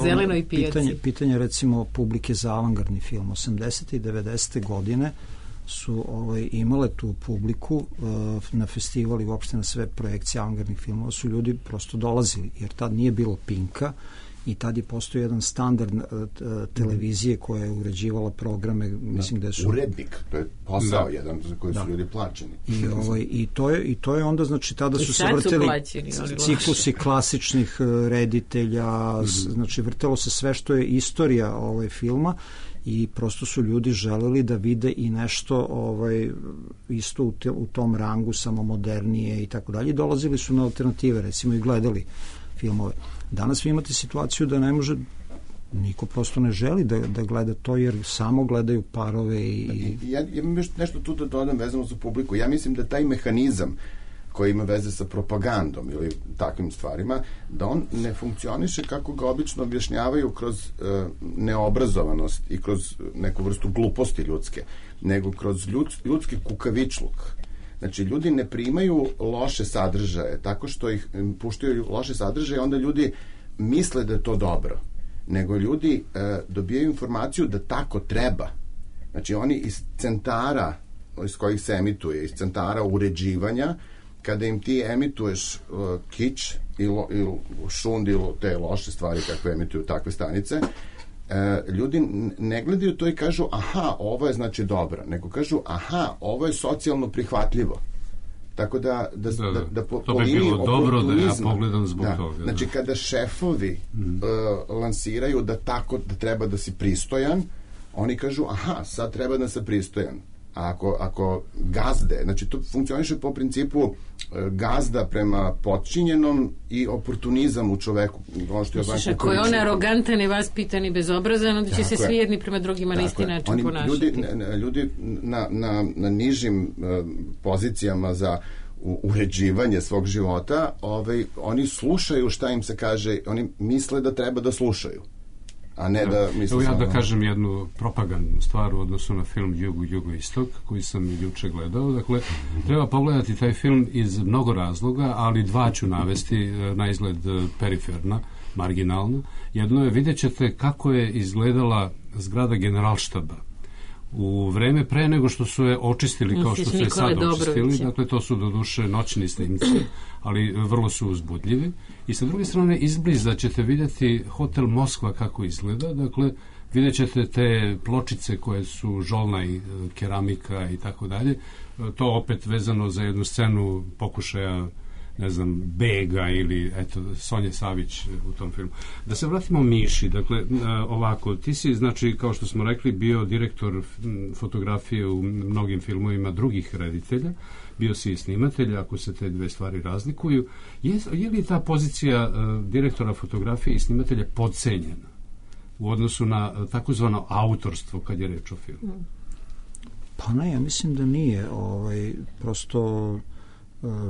zelenoj pijaci. Pitanje, pitanje recimo publike za avangardni film. osamdesete i devedesete godine su ovaj, imale tu publiku uh, na festivali, uopšte na sve projekcije avangardnih filmova su ljudi prosto dolazili, jer tad nije bilo Pinka i tad je postoji jedan standard uh, televizije koja je uređivala programe, mislim da su... Urednik, to je posao da. jedan za koji da. su ljudi plaćeni. I, ovaj, i, to je, I to je onda, znači, tada su se vrteli plaćeni, ciklusi klasičnih uh, reditelja, mm-hmm. znači vrtelo se sve što je istorija ovaj, filma i prosto su ljudi želeli da vide i nešto ovaj, isto u, te, u tom rangu, samo modernije i tako dalje. Dolazili su na alternative, recimo, i gledali filmove. Danas vi imate situaciju da ne može, niko prosto ne želi da, da gleda to, jer samo gledaju parove i... Ja, ja imam još nešto tu da dodam vezano za publiku. Ja mislim da taj mehanizam koji ima veze sa propagandom ili takvim stvarima, da on ne funkcioniše kako ga obično objašnjavaju kroz e, neobrazovanost i kroz neku vrstu gluposti ljudske, nego kroz ljud, ljudski kukavičluk. Znači, ljudi ne primaju loše sadržaje tako što ih puštaju loše sadržaje, onda ljudi misle da je to dobro. Nego ljudi e, dobijaju informaciju da tako treba. Znači, oni iz centara iz kojih se emituje, iz centara uređivanja, kada im ti emituješ uh, kič ili, ili šund ili te loše stvari kakve emituju takve stanice, uh, ljudi ne gledaju to i kažu aha, ovo je znači dobro, nego kažu aha, ovo je socijalno prihvatljivo. Tako da da, da, da, da po, to po bi liniji bilo dobro da ja pogledam zbog da, toga. Znači, da. kada šefovi mm. uh, lansiraju da tako da treba da si pristojan, oni kažu aha, sad treba da se pristojan. A ako, ako gazde, znači to funkcioniše po principu e, gazda prema potčinjenom i oportunizam u čoveku. Ono što je Slušaj, ako je on arogantan i vaspitan i bezobrazan, onda će se svi jedni prema drugima na isti način Oni, ponašati. Ljudi, ljudi na, na, na nižim e, pozicijama za u, uređivanje svog života, ovaj, oni slušaju šta im se kaže, oni misle da treba da slušaju. A ne da, Evo ja da kažem jednu propagandnu stvar u odnosu na film Jugo, Jugoistok, koji sam juče gledao. Dakle, treba pogledati taj film iz mnogo razloga, ali dva ću navesti na izgled periferna, marginalna. Jedno je, vidjet ćete kako je izgledala zgrada Generalštaba u vreme pre nego što su je očistili kao što su je sad očistili. Dakle, to su doduše noćni snimci, ali vrlo su uzbudljivi. I sa druge strane, izbliza ćete vidjeti hotel Moskva kako izgleda. Dakle, vidjet ćete te pločice koje su žolna i keramika i tako dalje. To opet vezano za jednu scenu pokušaja, ne znam, Bega ili eto, Sonje Savić u tom filmu. Da se vratimo Miši, dakle, ovako, ti si, znači, kao što smo rekli, bio direktor fotografije u mnogim filmovima drugih reditelja, bio si i snimatelj, ako se te dve stvari razlikuju. Je, je li ta pozicija uh, direktora fotografije i snimatelja podcenjena u odnosu na uh, takozvano autorstvo kad je reč o filmu? Pa ne, ja mislim da nije. Ovaj, prosto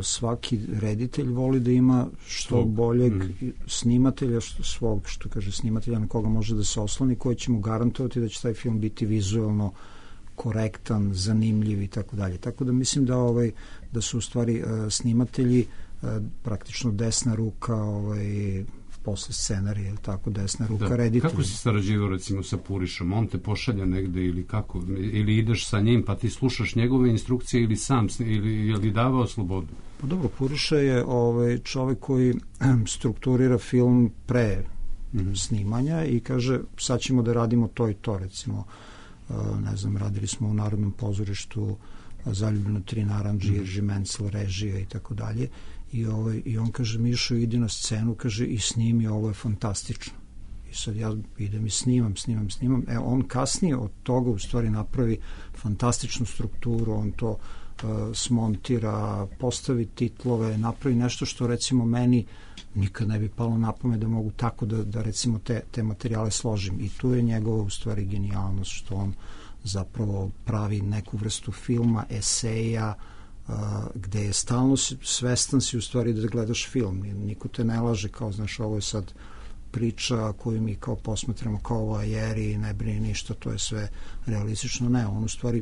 svaki reditelj voli da ima što svog. boljeg mm. snimatelja, što, svog, što kaže snimatelja na koga može da se osloni, koji će mu garantovati da će taj film biti vizuelno korektan, zanimljiv i tako dalje. Tako da mislim da ovaj da su u stvari uh, snimatelji uh, praktično desna ruka ovaj posle scenarija, tako desna ruka da. reditelja. Kako si sarađivao recimo sa Purišom? On te pošalja negde ili kako? Ili ideš sa njim pa ti slušaš njegove instrukcije ili sam ili je li davao slobodu? Pa dobro, Puriša je ovaj čovek koji strukturira film pre mm-hmm. snimanja i kaže sad ćemo da radimo to i to, recimo ne znam, radili smo u Narodnom pozorištu Zaljubljeno tri narandže, mm-hmm. Irži Mencel, režija i tako dalje. I, ovaj, i on kaže, Mišo, idi na scenu, kaže, i snimi, ovo je fantastično. I sad ja idem i snimam, snimam, snimam. E, on kasnije od toga u stvari napravi fantastičnu strukturu, on to uh, smontira, postavi titlove, napravi nešto što recimo meni nikad ne bi palo na pamet da mogu tako da, da recimo te, te materijale složim. I tu je njegova u stvari genijalnost, što on zapravo pravi neku vrstu filma, eseja, uh, gde je stalno svestan si u stvari da gledaš film. Niko te ne laže kao, znaš, ovo je sad priča koju mi kao posmatramo kao vajeri, ne brini ništa, to je sve realistično. Ne, on u stvari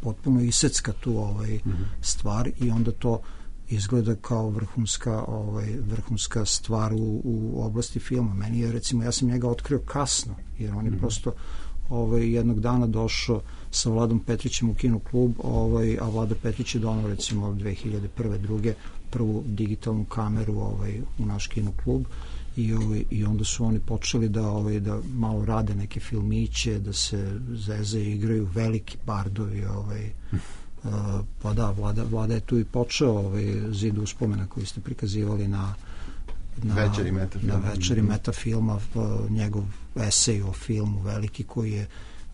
potpuno isecka tu ovaj mm-hmm. stvar i onda to izgleda kao vrhunska ovaj vrhunska stvar u, u oblasti filma. Meni je, recimo, ja sam njega otkrio kasno, jer on je mm-hmm. prosto ovaj jednog dana došao sa Vladom Petrićem u kino klub, ovaj a Vlada Petrić je donao, recimo, dve hiljade prve druge prvu digitalnu kameru ovaj u naš kino klub i ovaj i onda su oni počeli da ovaj da malo rade neke filmiće, da se zeze i igraju veliki bardovi, ovaj uh, pa da, Vlada, Vlada je tu i počeo ovaj Zid uspomena koji ste prikazivali na na večeri metafilma, na večeri metafilma, njegov esej o filmu veliki koji je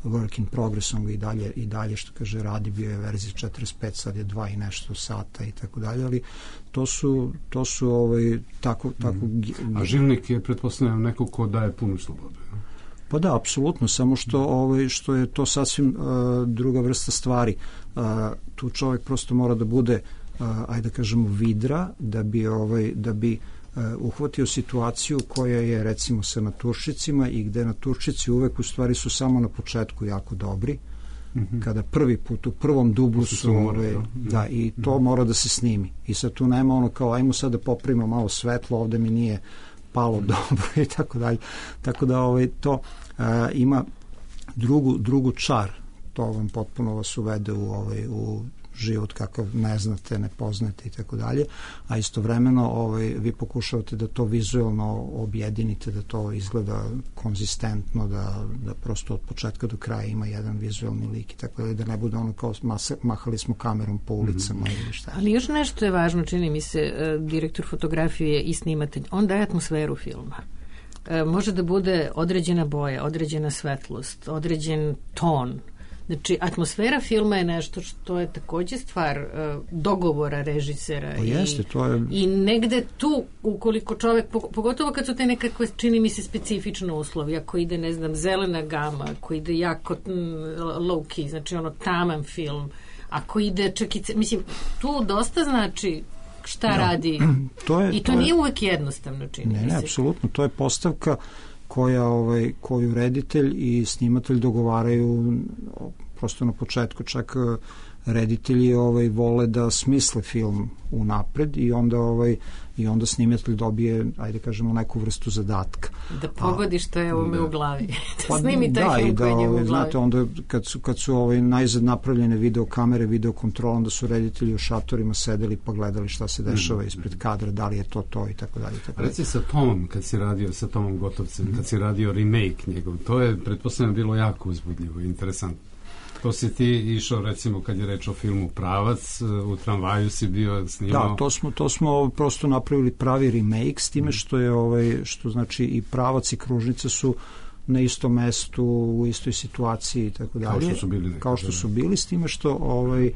work in progress, on ga i dalje, i dalje što kaže radi, bio je verzija četrdeset pet, sad je dva i nešto sata i tako dalje, ali to su to su ovaj tako tako mm. A Živnik je, pretpostavljam, neko ko daje punu slobodu. Pa da, apsolutno, samo što ovaj što je to sasvim uh, druga vrsta stvari. Uh, tu čovjek prosto mora da bude uh, ajde da kažemo vidra, da bi ovaj da bi Uh, uhvatio situaciju koja je, recimo, sa naturšicima i gde naturšici uvek u stvari su samo na početku jako dobri, mm-hmm. kada prvi put u prvom dublu su, su ove, da, i to mm-hmm. mora da se snimi i sad tu nema ono kao ajmo sad da popravimo malo svetlo, ovde mi nije palo mm-hmm. dobro i tako dalje, tako da ovaj, to uh, ima drugu, drugu čar, to vam potpuno vas uvede u, ovaj, u život kakav ne znate, ne poznate i tako dalje, a istovremeno ovaj, vi pokušavate da to vizuelno objedinite, da to izgleda konzistentno, da, da prosto od početka do kraja ima jedan vizuelni lik i tako dalje, da ne bude ono kao masa, mahali smo kamerom po ulicama mm-hmm. ili šta. Ali još nešto je važno, čini mi se, direktor fotografije i snimatelj, on daje atmosferu filma. Može da bude određena boja, određena svetlost, određen ton. Znači, atmosfera filma je nešto što je takođe stvar uh, dogovora režisera. O, jeste, i, to je... i negde tu, ukoliko čovek, pogotovo kad su te nekakve, čini mi se, specifične uslovi, ako ide, ne znam, zelena gama, ako ide jako mm, low key, znači ono taman film, ako ide čak i... Mislim, tu dosta znači šta no, radi to je, i to, to nije je, uvek jednostavno, čini ne, mi se. Ne, apsolutno, to je postavka koja ovaj koju reditelj i snimatelj dogovaraju prosto na početku, čak reditelji ovaj vole da smisle film unapred i onda ovaj i onda snimatelj dobije, ajde kažemo, neku vrstu zadatka. Da pogodi što je ovome da, u glavi. Da pa, snimi taj da, film i da, koji je u ovaj, glavi. znate, onda kad su, kad su ovaj najzad napravljene video kamere, video kontrola, onda su reditelji u šatorima sedeli pa gledali šta se dešava ispred kadra, da li je to to i tako dalje. Tako Reci sa Tomom, kad si radio sa Tomom Gotovcem, mm-hmm. kad si radio remake njegov, to je, pretpostavljam, bilo jako uzbudljivo i interesantno. To si ti išao, recimo, kad je reč o filmu Pravac, u tramvaju si bio snimao. Da, to smo, to smo prosto napravili pravi remake, s time što je, ovaj, što znači i Pravac i Kružnica su na istom mestu, u istoj situaciji i tako dalje. Kao što su bili. Nekako, kao što su bili, s time što ovaj,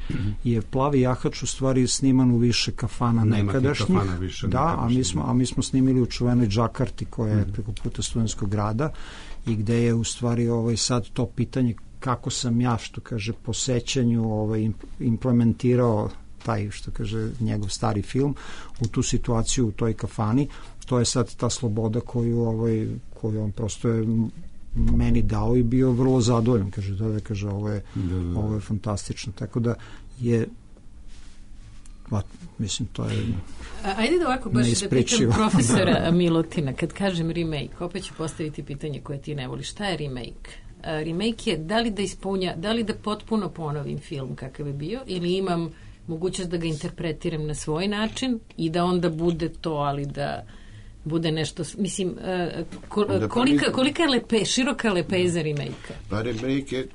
je Plavi jahač u stvari sniman u više kafana Nema nekadašnjih. Kafana više da, a mi, smo, a mi smo snimili u čuvenoj Džakarti koja je mm. preko puta Studentskog grada i gde je u stvari ovaj, sad to pitanje kako sam ja, što kaže, po sećanju ovaj, implementirao taj, što kaže, njegov stari film u tu situaciju u toj kafani. To je sad ta sloboda koju, ovaj, koju on prosto je meni dao i bio vrlo zadovoljan. Kaže, da, da, kaže, ovo je, da, da. ovo je fantastično. Tako da je ba, mislim, to je A, ajde da ovako baš da pitam profesora Milutina, kad kažem remake, opet ću postaviti pitanje koje ti ne voliš. Šta je remake? Remake je da li da ispunja, da li da potpuno ponovim film kakav je bio ili imam mogućnost da ga interpretiram na svoj način i da onda bude to, ali da bude nešto, mislim, kolika, kolika je lepe, široka lepeza remake-a? Pa remake je,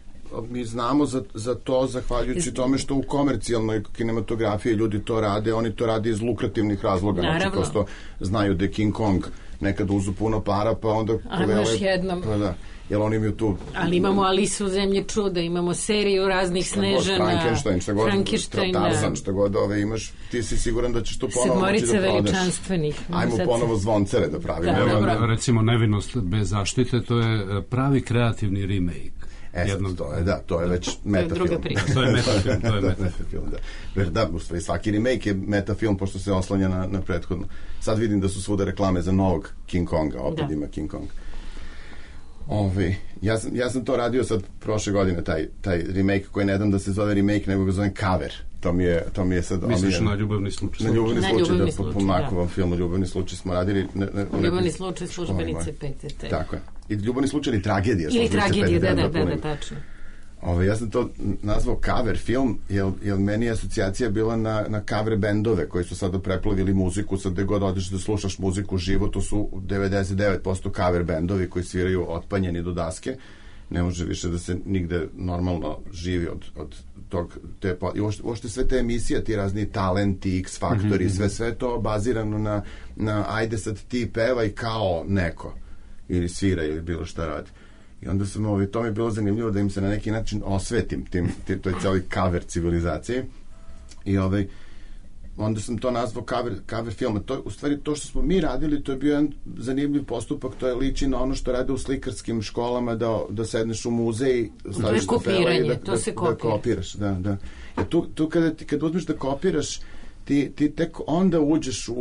mi znamo za, za to zahvaljujući Iz... tome što u komercijalnoj kinematografiji ljudi to rade, oni to rade iz lukrativnih razloga. Naravno. Znači, prosto znaju da je King Kong nekad uzu puno para, pa onda... A još jednom... Pa da, jer oni imaju tu... Ali imamo Alisu u zemlji čuda, imamo seriju raznih Snežana, Frankenstein, šta god, Frankenstein, Tarzan, šta god ove imaš, ti si siguran da ćeš to ponovo moći da prodaš. Sedmorica veličanstvenih. Ajmo sad ponovo Zvoncere da pravimo. Da, Evo, recimo, Nevinost bez zaštite, to je pravi kreativni remake. E, jednog. To je, da, to je već metafilm. Druga priča. To je metafilm, to je metafilm. metafilm, da. Jer da, u stvari, svaki remake je metafilm, pošto se oslanja na, na prethodno. Sad vidim da su svuda reklame za novog King Konga, opet da. Ima King Kong. Ove, ja, sam, ja sam to radio sad prošle godine, taj, taj remake koji ne dam da se zove remake, nego ga zovem cover. To mi je, to mi je sad... Misliš je, na Ljubavni slučaj? Na Ljubavni na slučaj, ljubavni da, slučaj, po, po Makovom da. filmu Ljubavni slučaj smo radili... Ne, ne, Ljubavni slučaj službenice P T T. Tako je. I Ljubavni slučaj ili tragedija. Ili tragedija, da, da, da, da, tačno. Ove, ja sam to nazvao cover film, jer, jer meni je asocijacija bila na, na cover bendove koji su sada preplavili muziku, sad gde god odeš da slušaš muziku živo, to su devedeset devet posto cover bendovi koji sviraju otpanjeni do daske. Ne može više da se nigde normalno živi od, od tog, te, i uopšte, uopšte sve te emisije, ti razni talenti, X faktori, mm-hmm. sve, sve to bazirano na, na ajde sad ti pevaj kao neko, ili svira, ili bilo šta radi. I onda sam, ovaj, to mi je bilo zanimljivo da im se na neki način osvetim tim, tim to je cijeli cover civilizacije. I ovaj, onda sam to nazvao cover, cover filma. To, u stvari, to što smo mi radili, to je bio jedan zanimljiv postupak, to je liči na ono što rade u slikarskim školama, da, da sedneš u muzej, staviš to je kopiranje, da, to da, se da, kopira. Da kopiraš, da, da. Jer tu, tu kada, kada uzmeš da kopiraš, ti, ti tek onda uđeš u,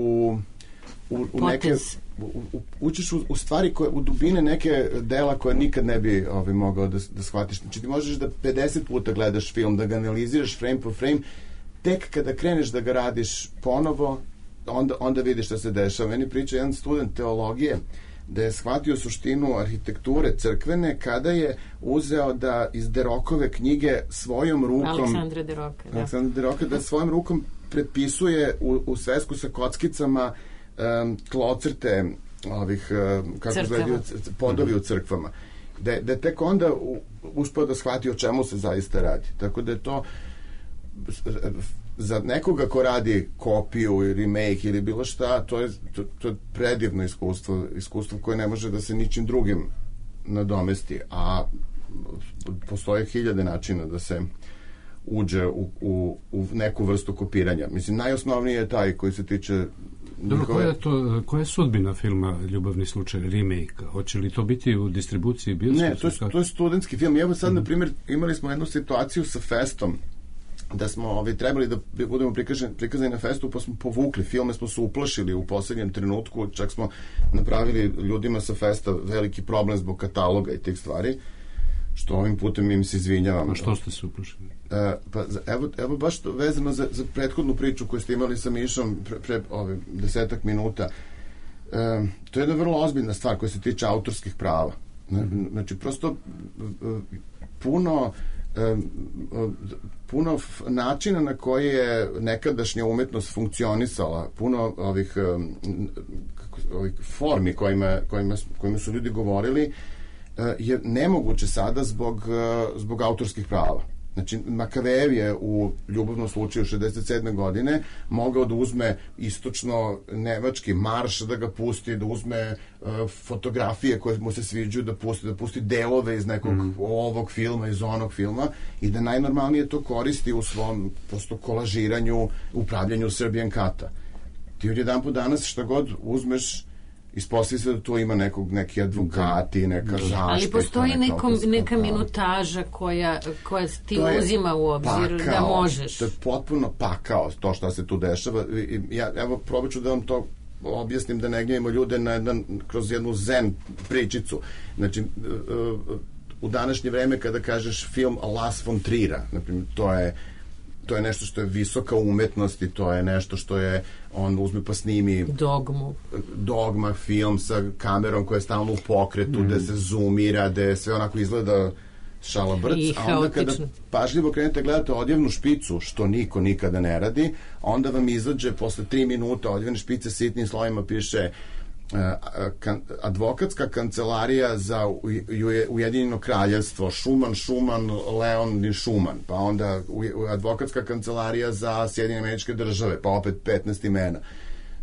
u, u neke... U, u, učiš u, u stvari koje, u dubine neke dela koje nikad ne bi ovaj, mogao da, da shvatiš. Znači ti možeš da pedeset puta gledaš film, da ga analiziraš frame po frame, tek kada kreneš da ga radiš ponovo, onda, onda vidiš šta se dešava. Meni priča jedan student teologije da je shvatio suštinu arhitekture crkvene kada je uzeo da iz Derokove knjige svojom rukom Aleksandra Deroka, da. Aleksandra Deroka da svojom rukom prepisuje u, u svesku sa kockicama um, tlocrte ovih, um, kako gledaju, podovi u crkvama. Da, da je tek onda u, uspeo da shvati o čemu se zaista radi. Tako da je to za nekoga ko radi kopiju, remake ili bilo šta, to je, to, to je predivno iskustvo, iskustvo koje ne može da se ničim drugim nadomesti, a postoje hiljade načina da se uđe u, u, u neku vrstu kopiranja. Mislim, najosnovniji je taj koji se tiče Dobro, njihove... koja je, to, koja je sudbina filma Ljubavni slučaj, remake? Hoće li to biti u distribuciji bioskopu? Ne, to je, to je studentski film. Evo sad, mm. na primjer, imali smo jednu situaciju sa Festom, da smo ovaj, trebali da budemo prikaženi, prikazani na festu, pa smo povukli filme, smo se uplašili u poslednjem trenutku, čak smo napravili ljudima sa festa veliki problem zbog kataloga i tih stvari, što ovim putem im se izvinjavam. A što ste se uplašili? E, pa, evo, evo baš to, vezano za, za prethodnu priču koju ste imali sa Mišom pre, pre ove, desetak minuta. E, to je jedna vrlo ozbiljna stvar koja se tiče autorskih prava. Znači, prosto puno puno načina na koji je nekadašnja umetnost funkcionisala, puno ovih, ovih formi kojima, kojima, kojima su ljudi govorili je nemoguće sada zbog, zbog autorskih prava. Znači, Makavejev je u Ljubavnom slučaju šezdeset sedme godine mogao da uzme istočno-nemački marš, da ga pusti, da uzme uh, fotografije koje mu se sviđaju, da pusti, da pusti delove iz nekog mm. ovog filma, iz onog filma i da najnormalnije to koristi u svom prosto kolažiranju, upravljanju Serbian Kata. Ti odjedan po danas šta god uzmeš, ispostavlja se da to ima nekog, neki advokati, neka zaštita. Ali postoji nekom, neka minutaža koja, koja ti uzima u obzir pakao, da možeš. To je potpuno pakao to što se tu dešava. Ja, evo, probat ću da vam to objasnim, da ne gnjavimo ljude na jedan, kroz jednu zen pričicu. Znači, u današnje vreme kada kažeš film Lars von Trier'a, naprimjer, to je to je nešto što je visoka umetnost i to je nešto što je, on uzme pa snimi Dogmu. Dogma film sa kamerom koja je stalno u pokretu, mm. gde se zoomira, gde sve onako izgleda šalabrc, a onda kada pažljivo krenete gledate odjevnu špicu, što niko nikada ne radi, onda vam izađe posle tri minuta odjevne špice sitnim slovima piše Kan, advokatska kancelarija za Ujedinjeno kraljevstvo Šuman, Šuman, Leon i Šuman, pa onda advokatska kancelarija za Sjedinjene Američke Države, pa opet petnaest imena.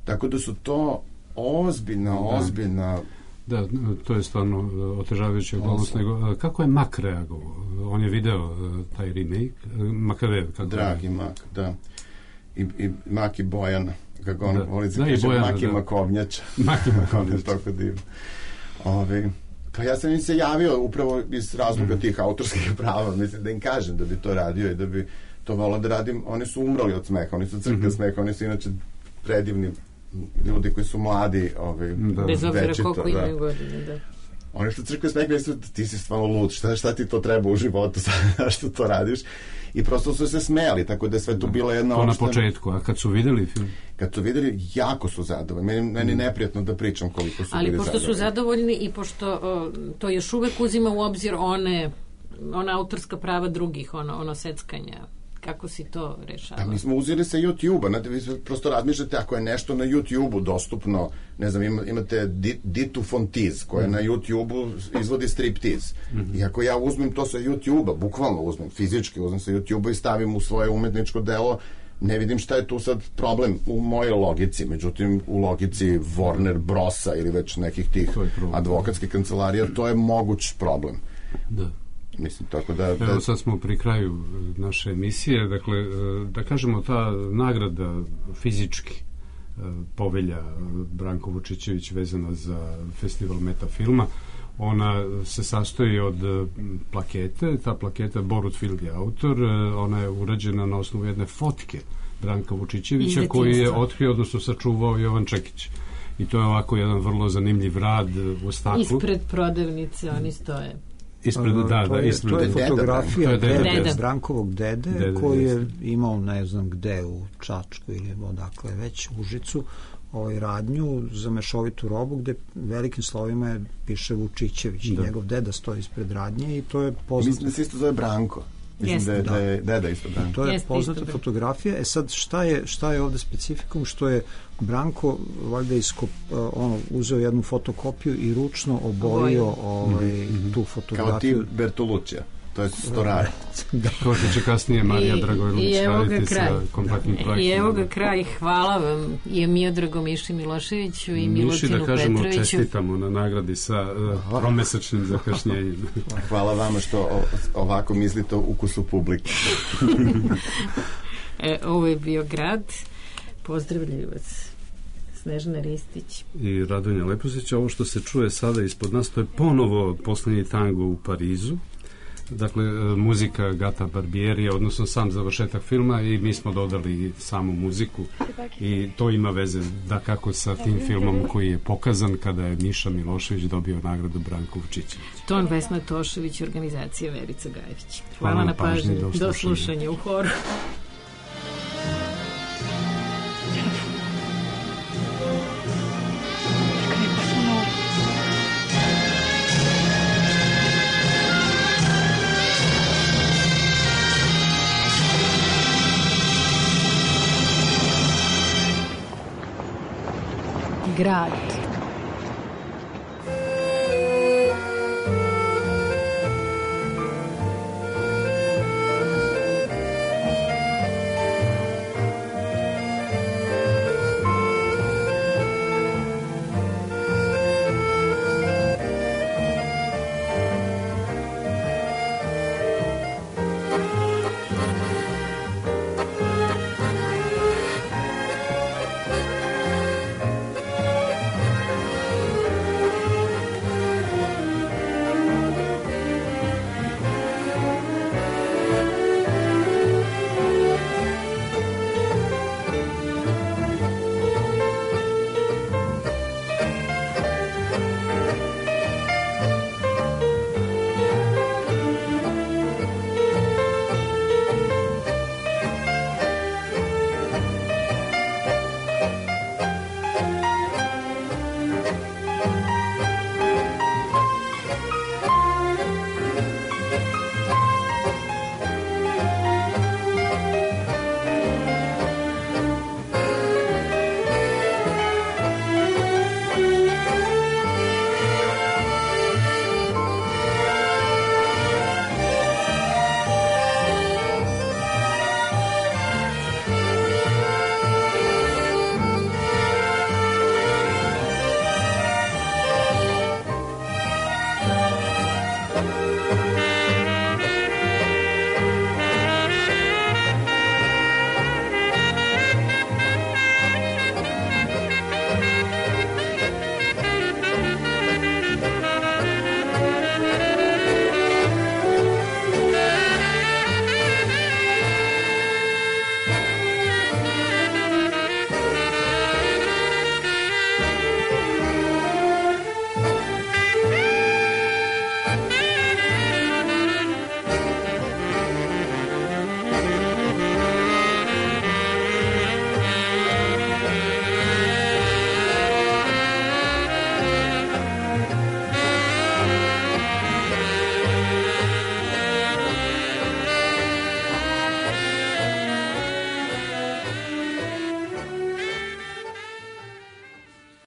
Tako da su to ozbiljna, ozbiljna Da, to je stvarno otežavajuća okolnost. Nego, kako je Mak reagovao? On je video taj remake, Makavejev. Dragi Mak, da. I, i Mak i Bojana, kako on voli se kaže, Mak i Makovnjača. Mak i Makovnjača. Tako divno. Ove, Pa ja sam im se javio upravo iz razloga mm. tih autorskih prava, mislim da im kažem da bi to radio i da bi to volao da radim. Oni su umrli od smeha, oni su crka mm-hmm. smeha, oni su inače predivni ljudi koji su mladi, ovaj, da. Bez obzira koliko imaju da. godine, da. Oni što crkve smeka misle, ti si stvarno lud, šta, šta ti to treba u životu, što to radiš? I prosto su se smejali, tako da je sve to bila jedna to opštena. Na početku, a kad su videli film? Kad su videli, jako su zadovoljni. Meni, meni mm. neprijatno da pričam koliko su ali bili pošto zadovoljni. su zadovoljni i pošto o, to još uvek uzima u obzir one, ona autorska prava drugih, ono, ono seckanja. Kako si to rešava? Pa mi smo uzeli sa YouTube-a, znate, vi prosto razmišljate ako je nešto na YouTube-u dostupno, ne znam, ima, imate Ditu Fontiz, koja mm. na YouTube-u izvodi striptiz. Mm-hmm. I ako ja uzmem to sa YouTube-a, bukvalno uzmem, fizički uzmem sa YouTube-a i stavim u svoje umetničko delo, ne vidim šta je tu sad problem u mojoj logici, međutim u logici Warner Brosa ili već nekih tih advokatskih kancelarija, to je moguć problem. Da. Mislim, tako da, da... Evo sad smo pri kraju naše emisije, dakle, da kažemo ta nagrada fizički povelja Branko Vučićević vezana za festival Metafilma, ona se sastoji od plakete, ta plaketa Borut Field je autor, ona je urađena na osnovu jedne fotke Branka Vučićevića koji je otkrio, odnosno sačuvao Jovan Čekić. I to je ovako jedan vrlo zanimljiv rad u staklu. Ispred prodavnice oni stoje. Ispred, da, da, to je, ispred to je fotografija deda, dede, deda. Brankovog dede, dede koji je imao ne znam gde u Čačku ili odakle već Užicu ovaj radnju za mešovitu robu gde velikim slovima piše Vučićević i njegov deda stoji ispred radnje i to je poznato. Mislim da se isto zove Branko. Mislim da je, da je deda isto Branko. To je Jeste poznata fotografija. E sad šta je, šta je ovde specifikum? Što je Branko valjda iskop, ono, uzeo jednu fotokopiju i ručno oborio ovaj, mm-hmm. tu fotografiju. Kao ti Bertoluccija. To je Storaro. Da. Kao što će kasnije Marija Dragojlović raditi sa kompaktnim projektima. I evo ga kraj. Hvala vam i Miodragu Miši Miloševiću i Milutinu Petroviću. Miši, da kažemo, čestitamo na nagradi sa uh, promesečnim zakašnjenjem. Hvala vama što ovako mislite o ukusu publike. e, ovo je bio Grad. Pozdravljaju vas Snežana Ristić i Radonja Leposić. Ovo što se čuje sada ispod nas, to je ponovo poslednji tango u Parizu. Dakle, muzika Gata Barbierija, odnosno sam završetak filma, i mi smo dodali samu muziku i to ima veze da kako sa tim filmom koji je pokazan kada je Miša Milošević dobio nagradu Branko Vučićević. Ton Vesna Tošević, organizacija Verica Gajević. Hvala, Hvala na pažnji, do slušanja, do slušanja u horu. Grad.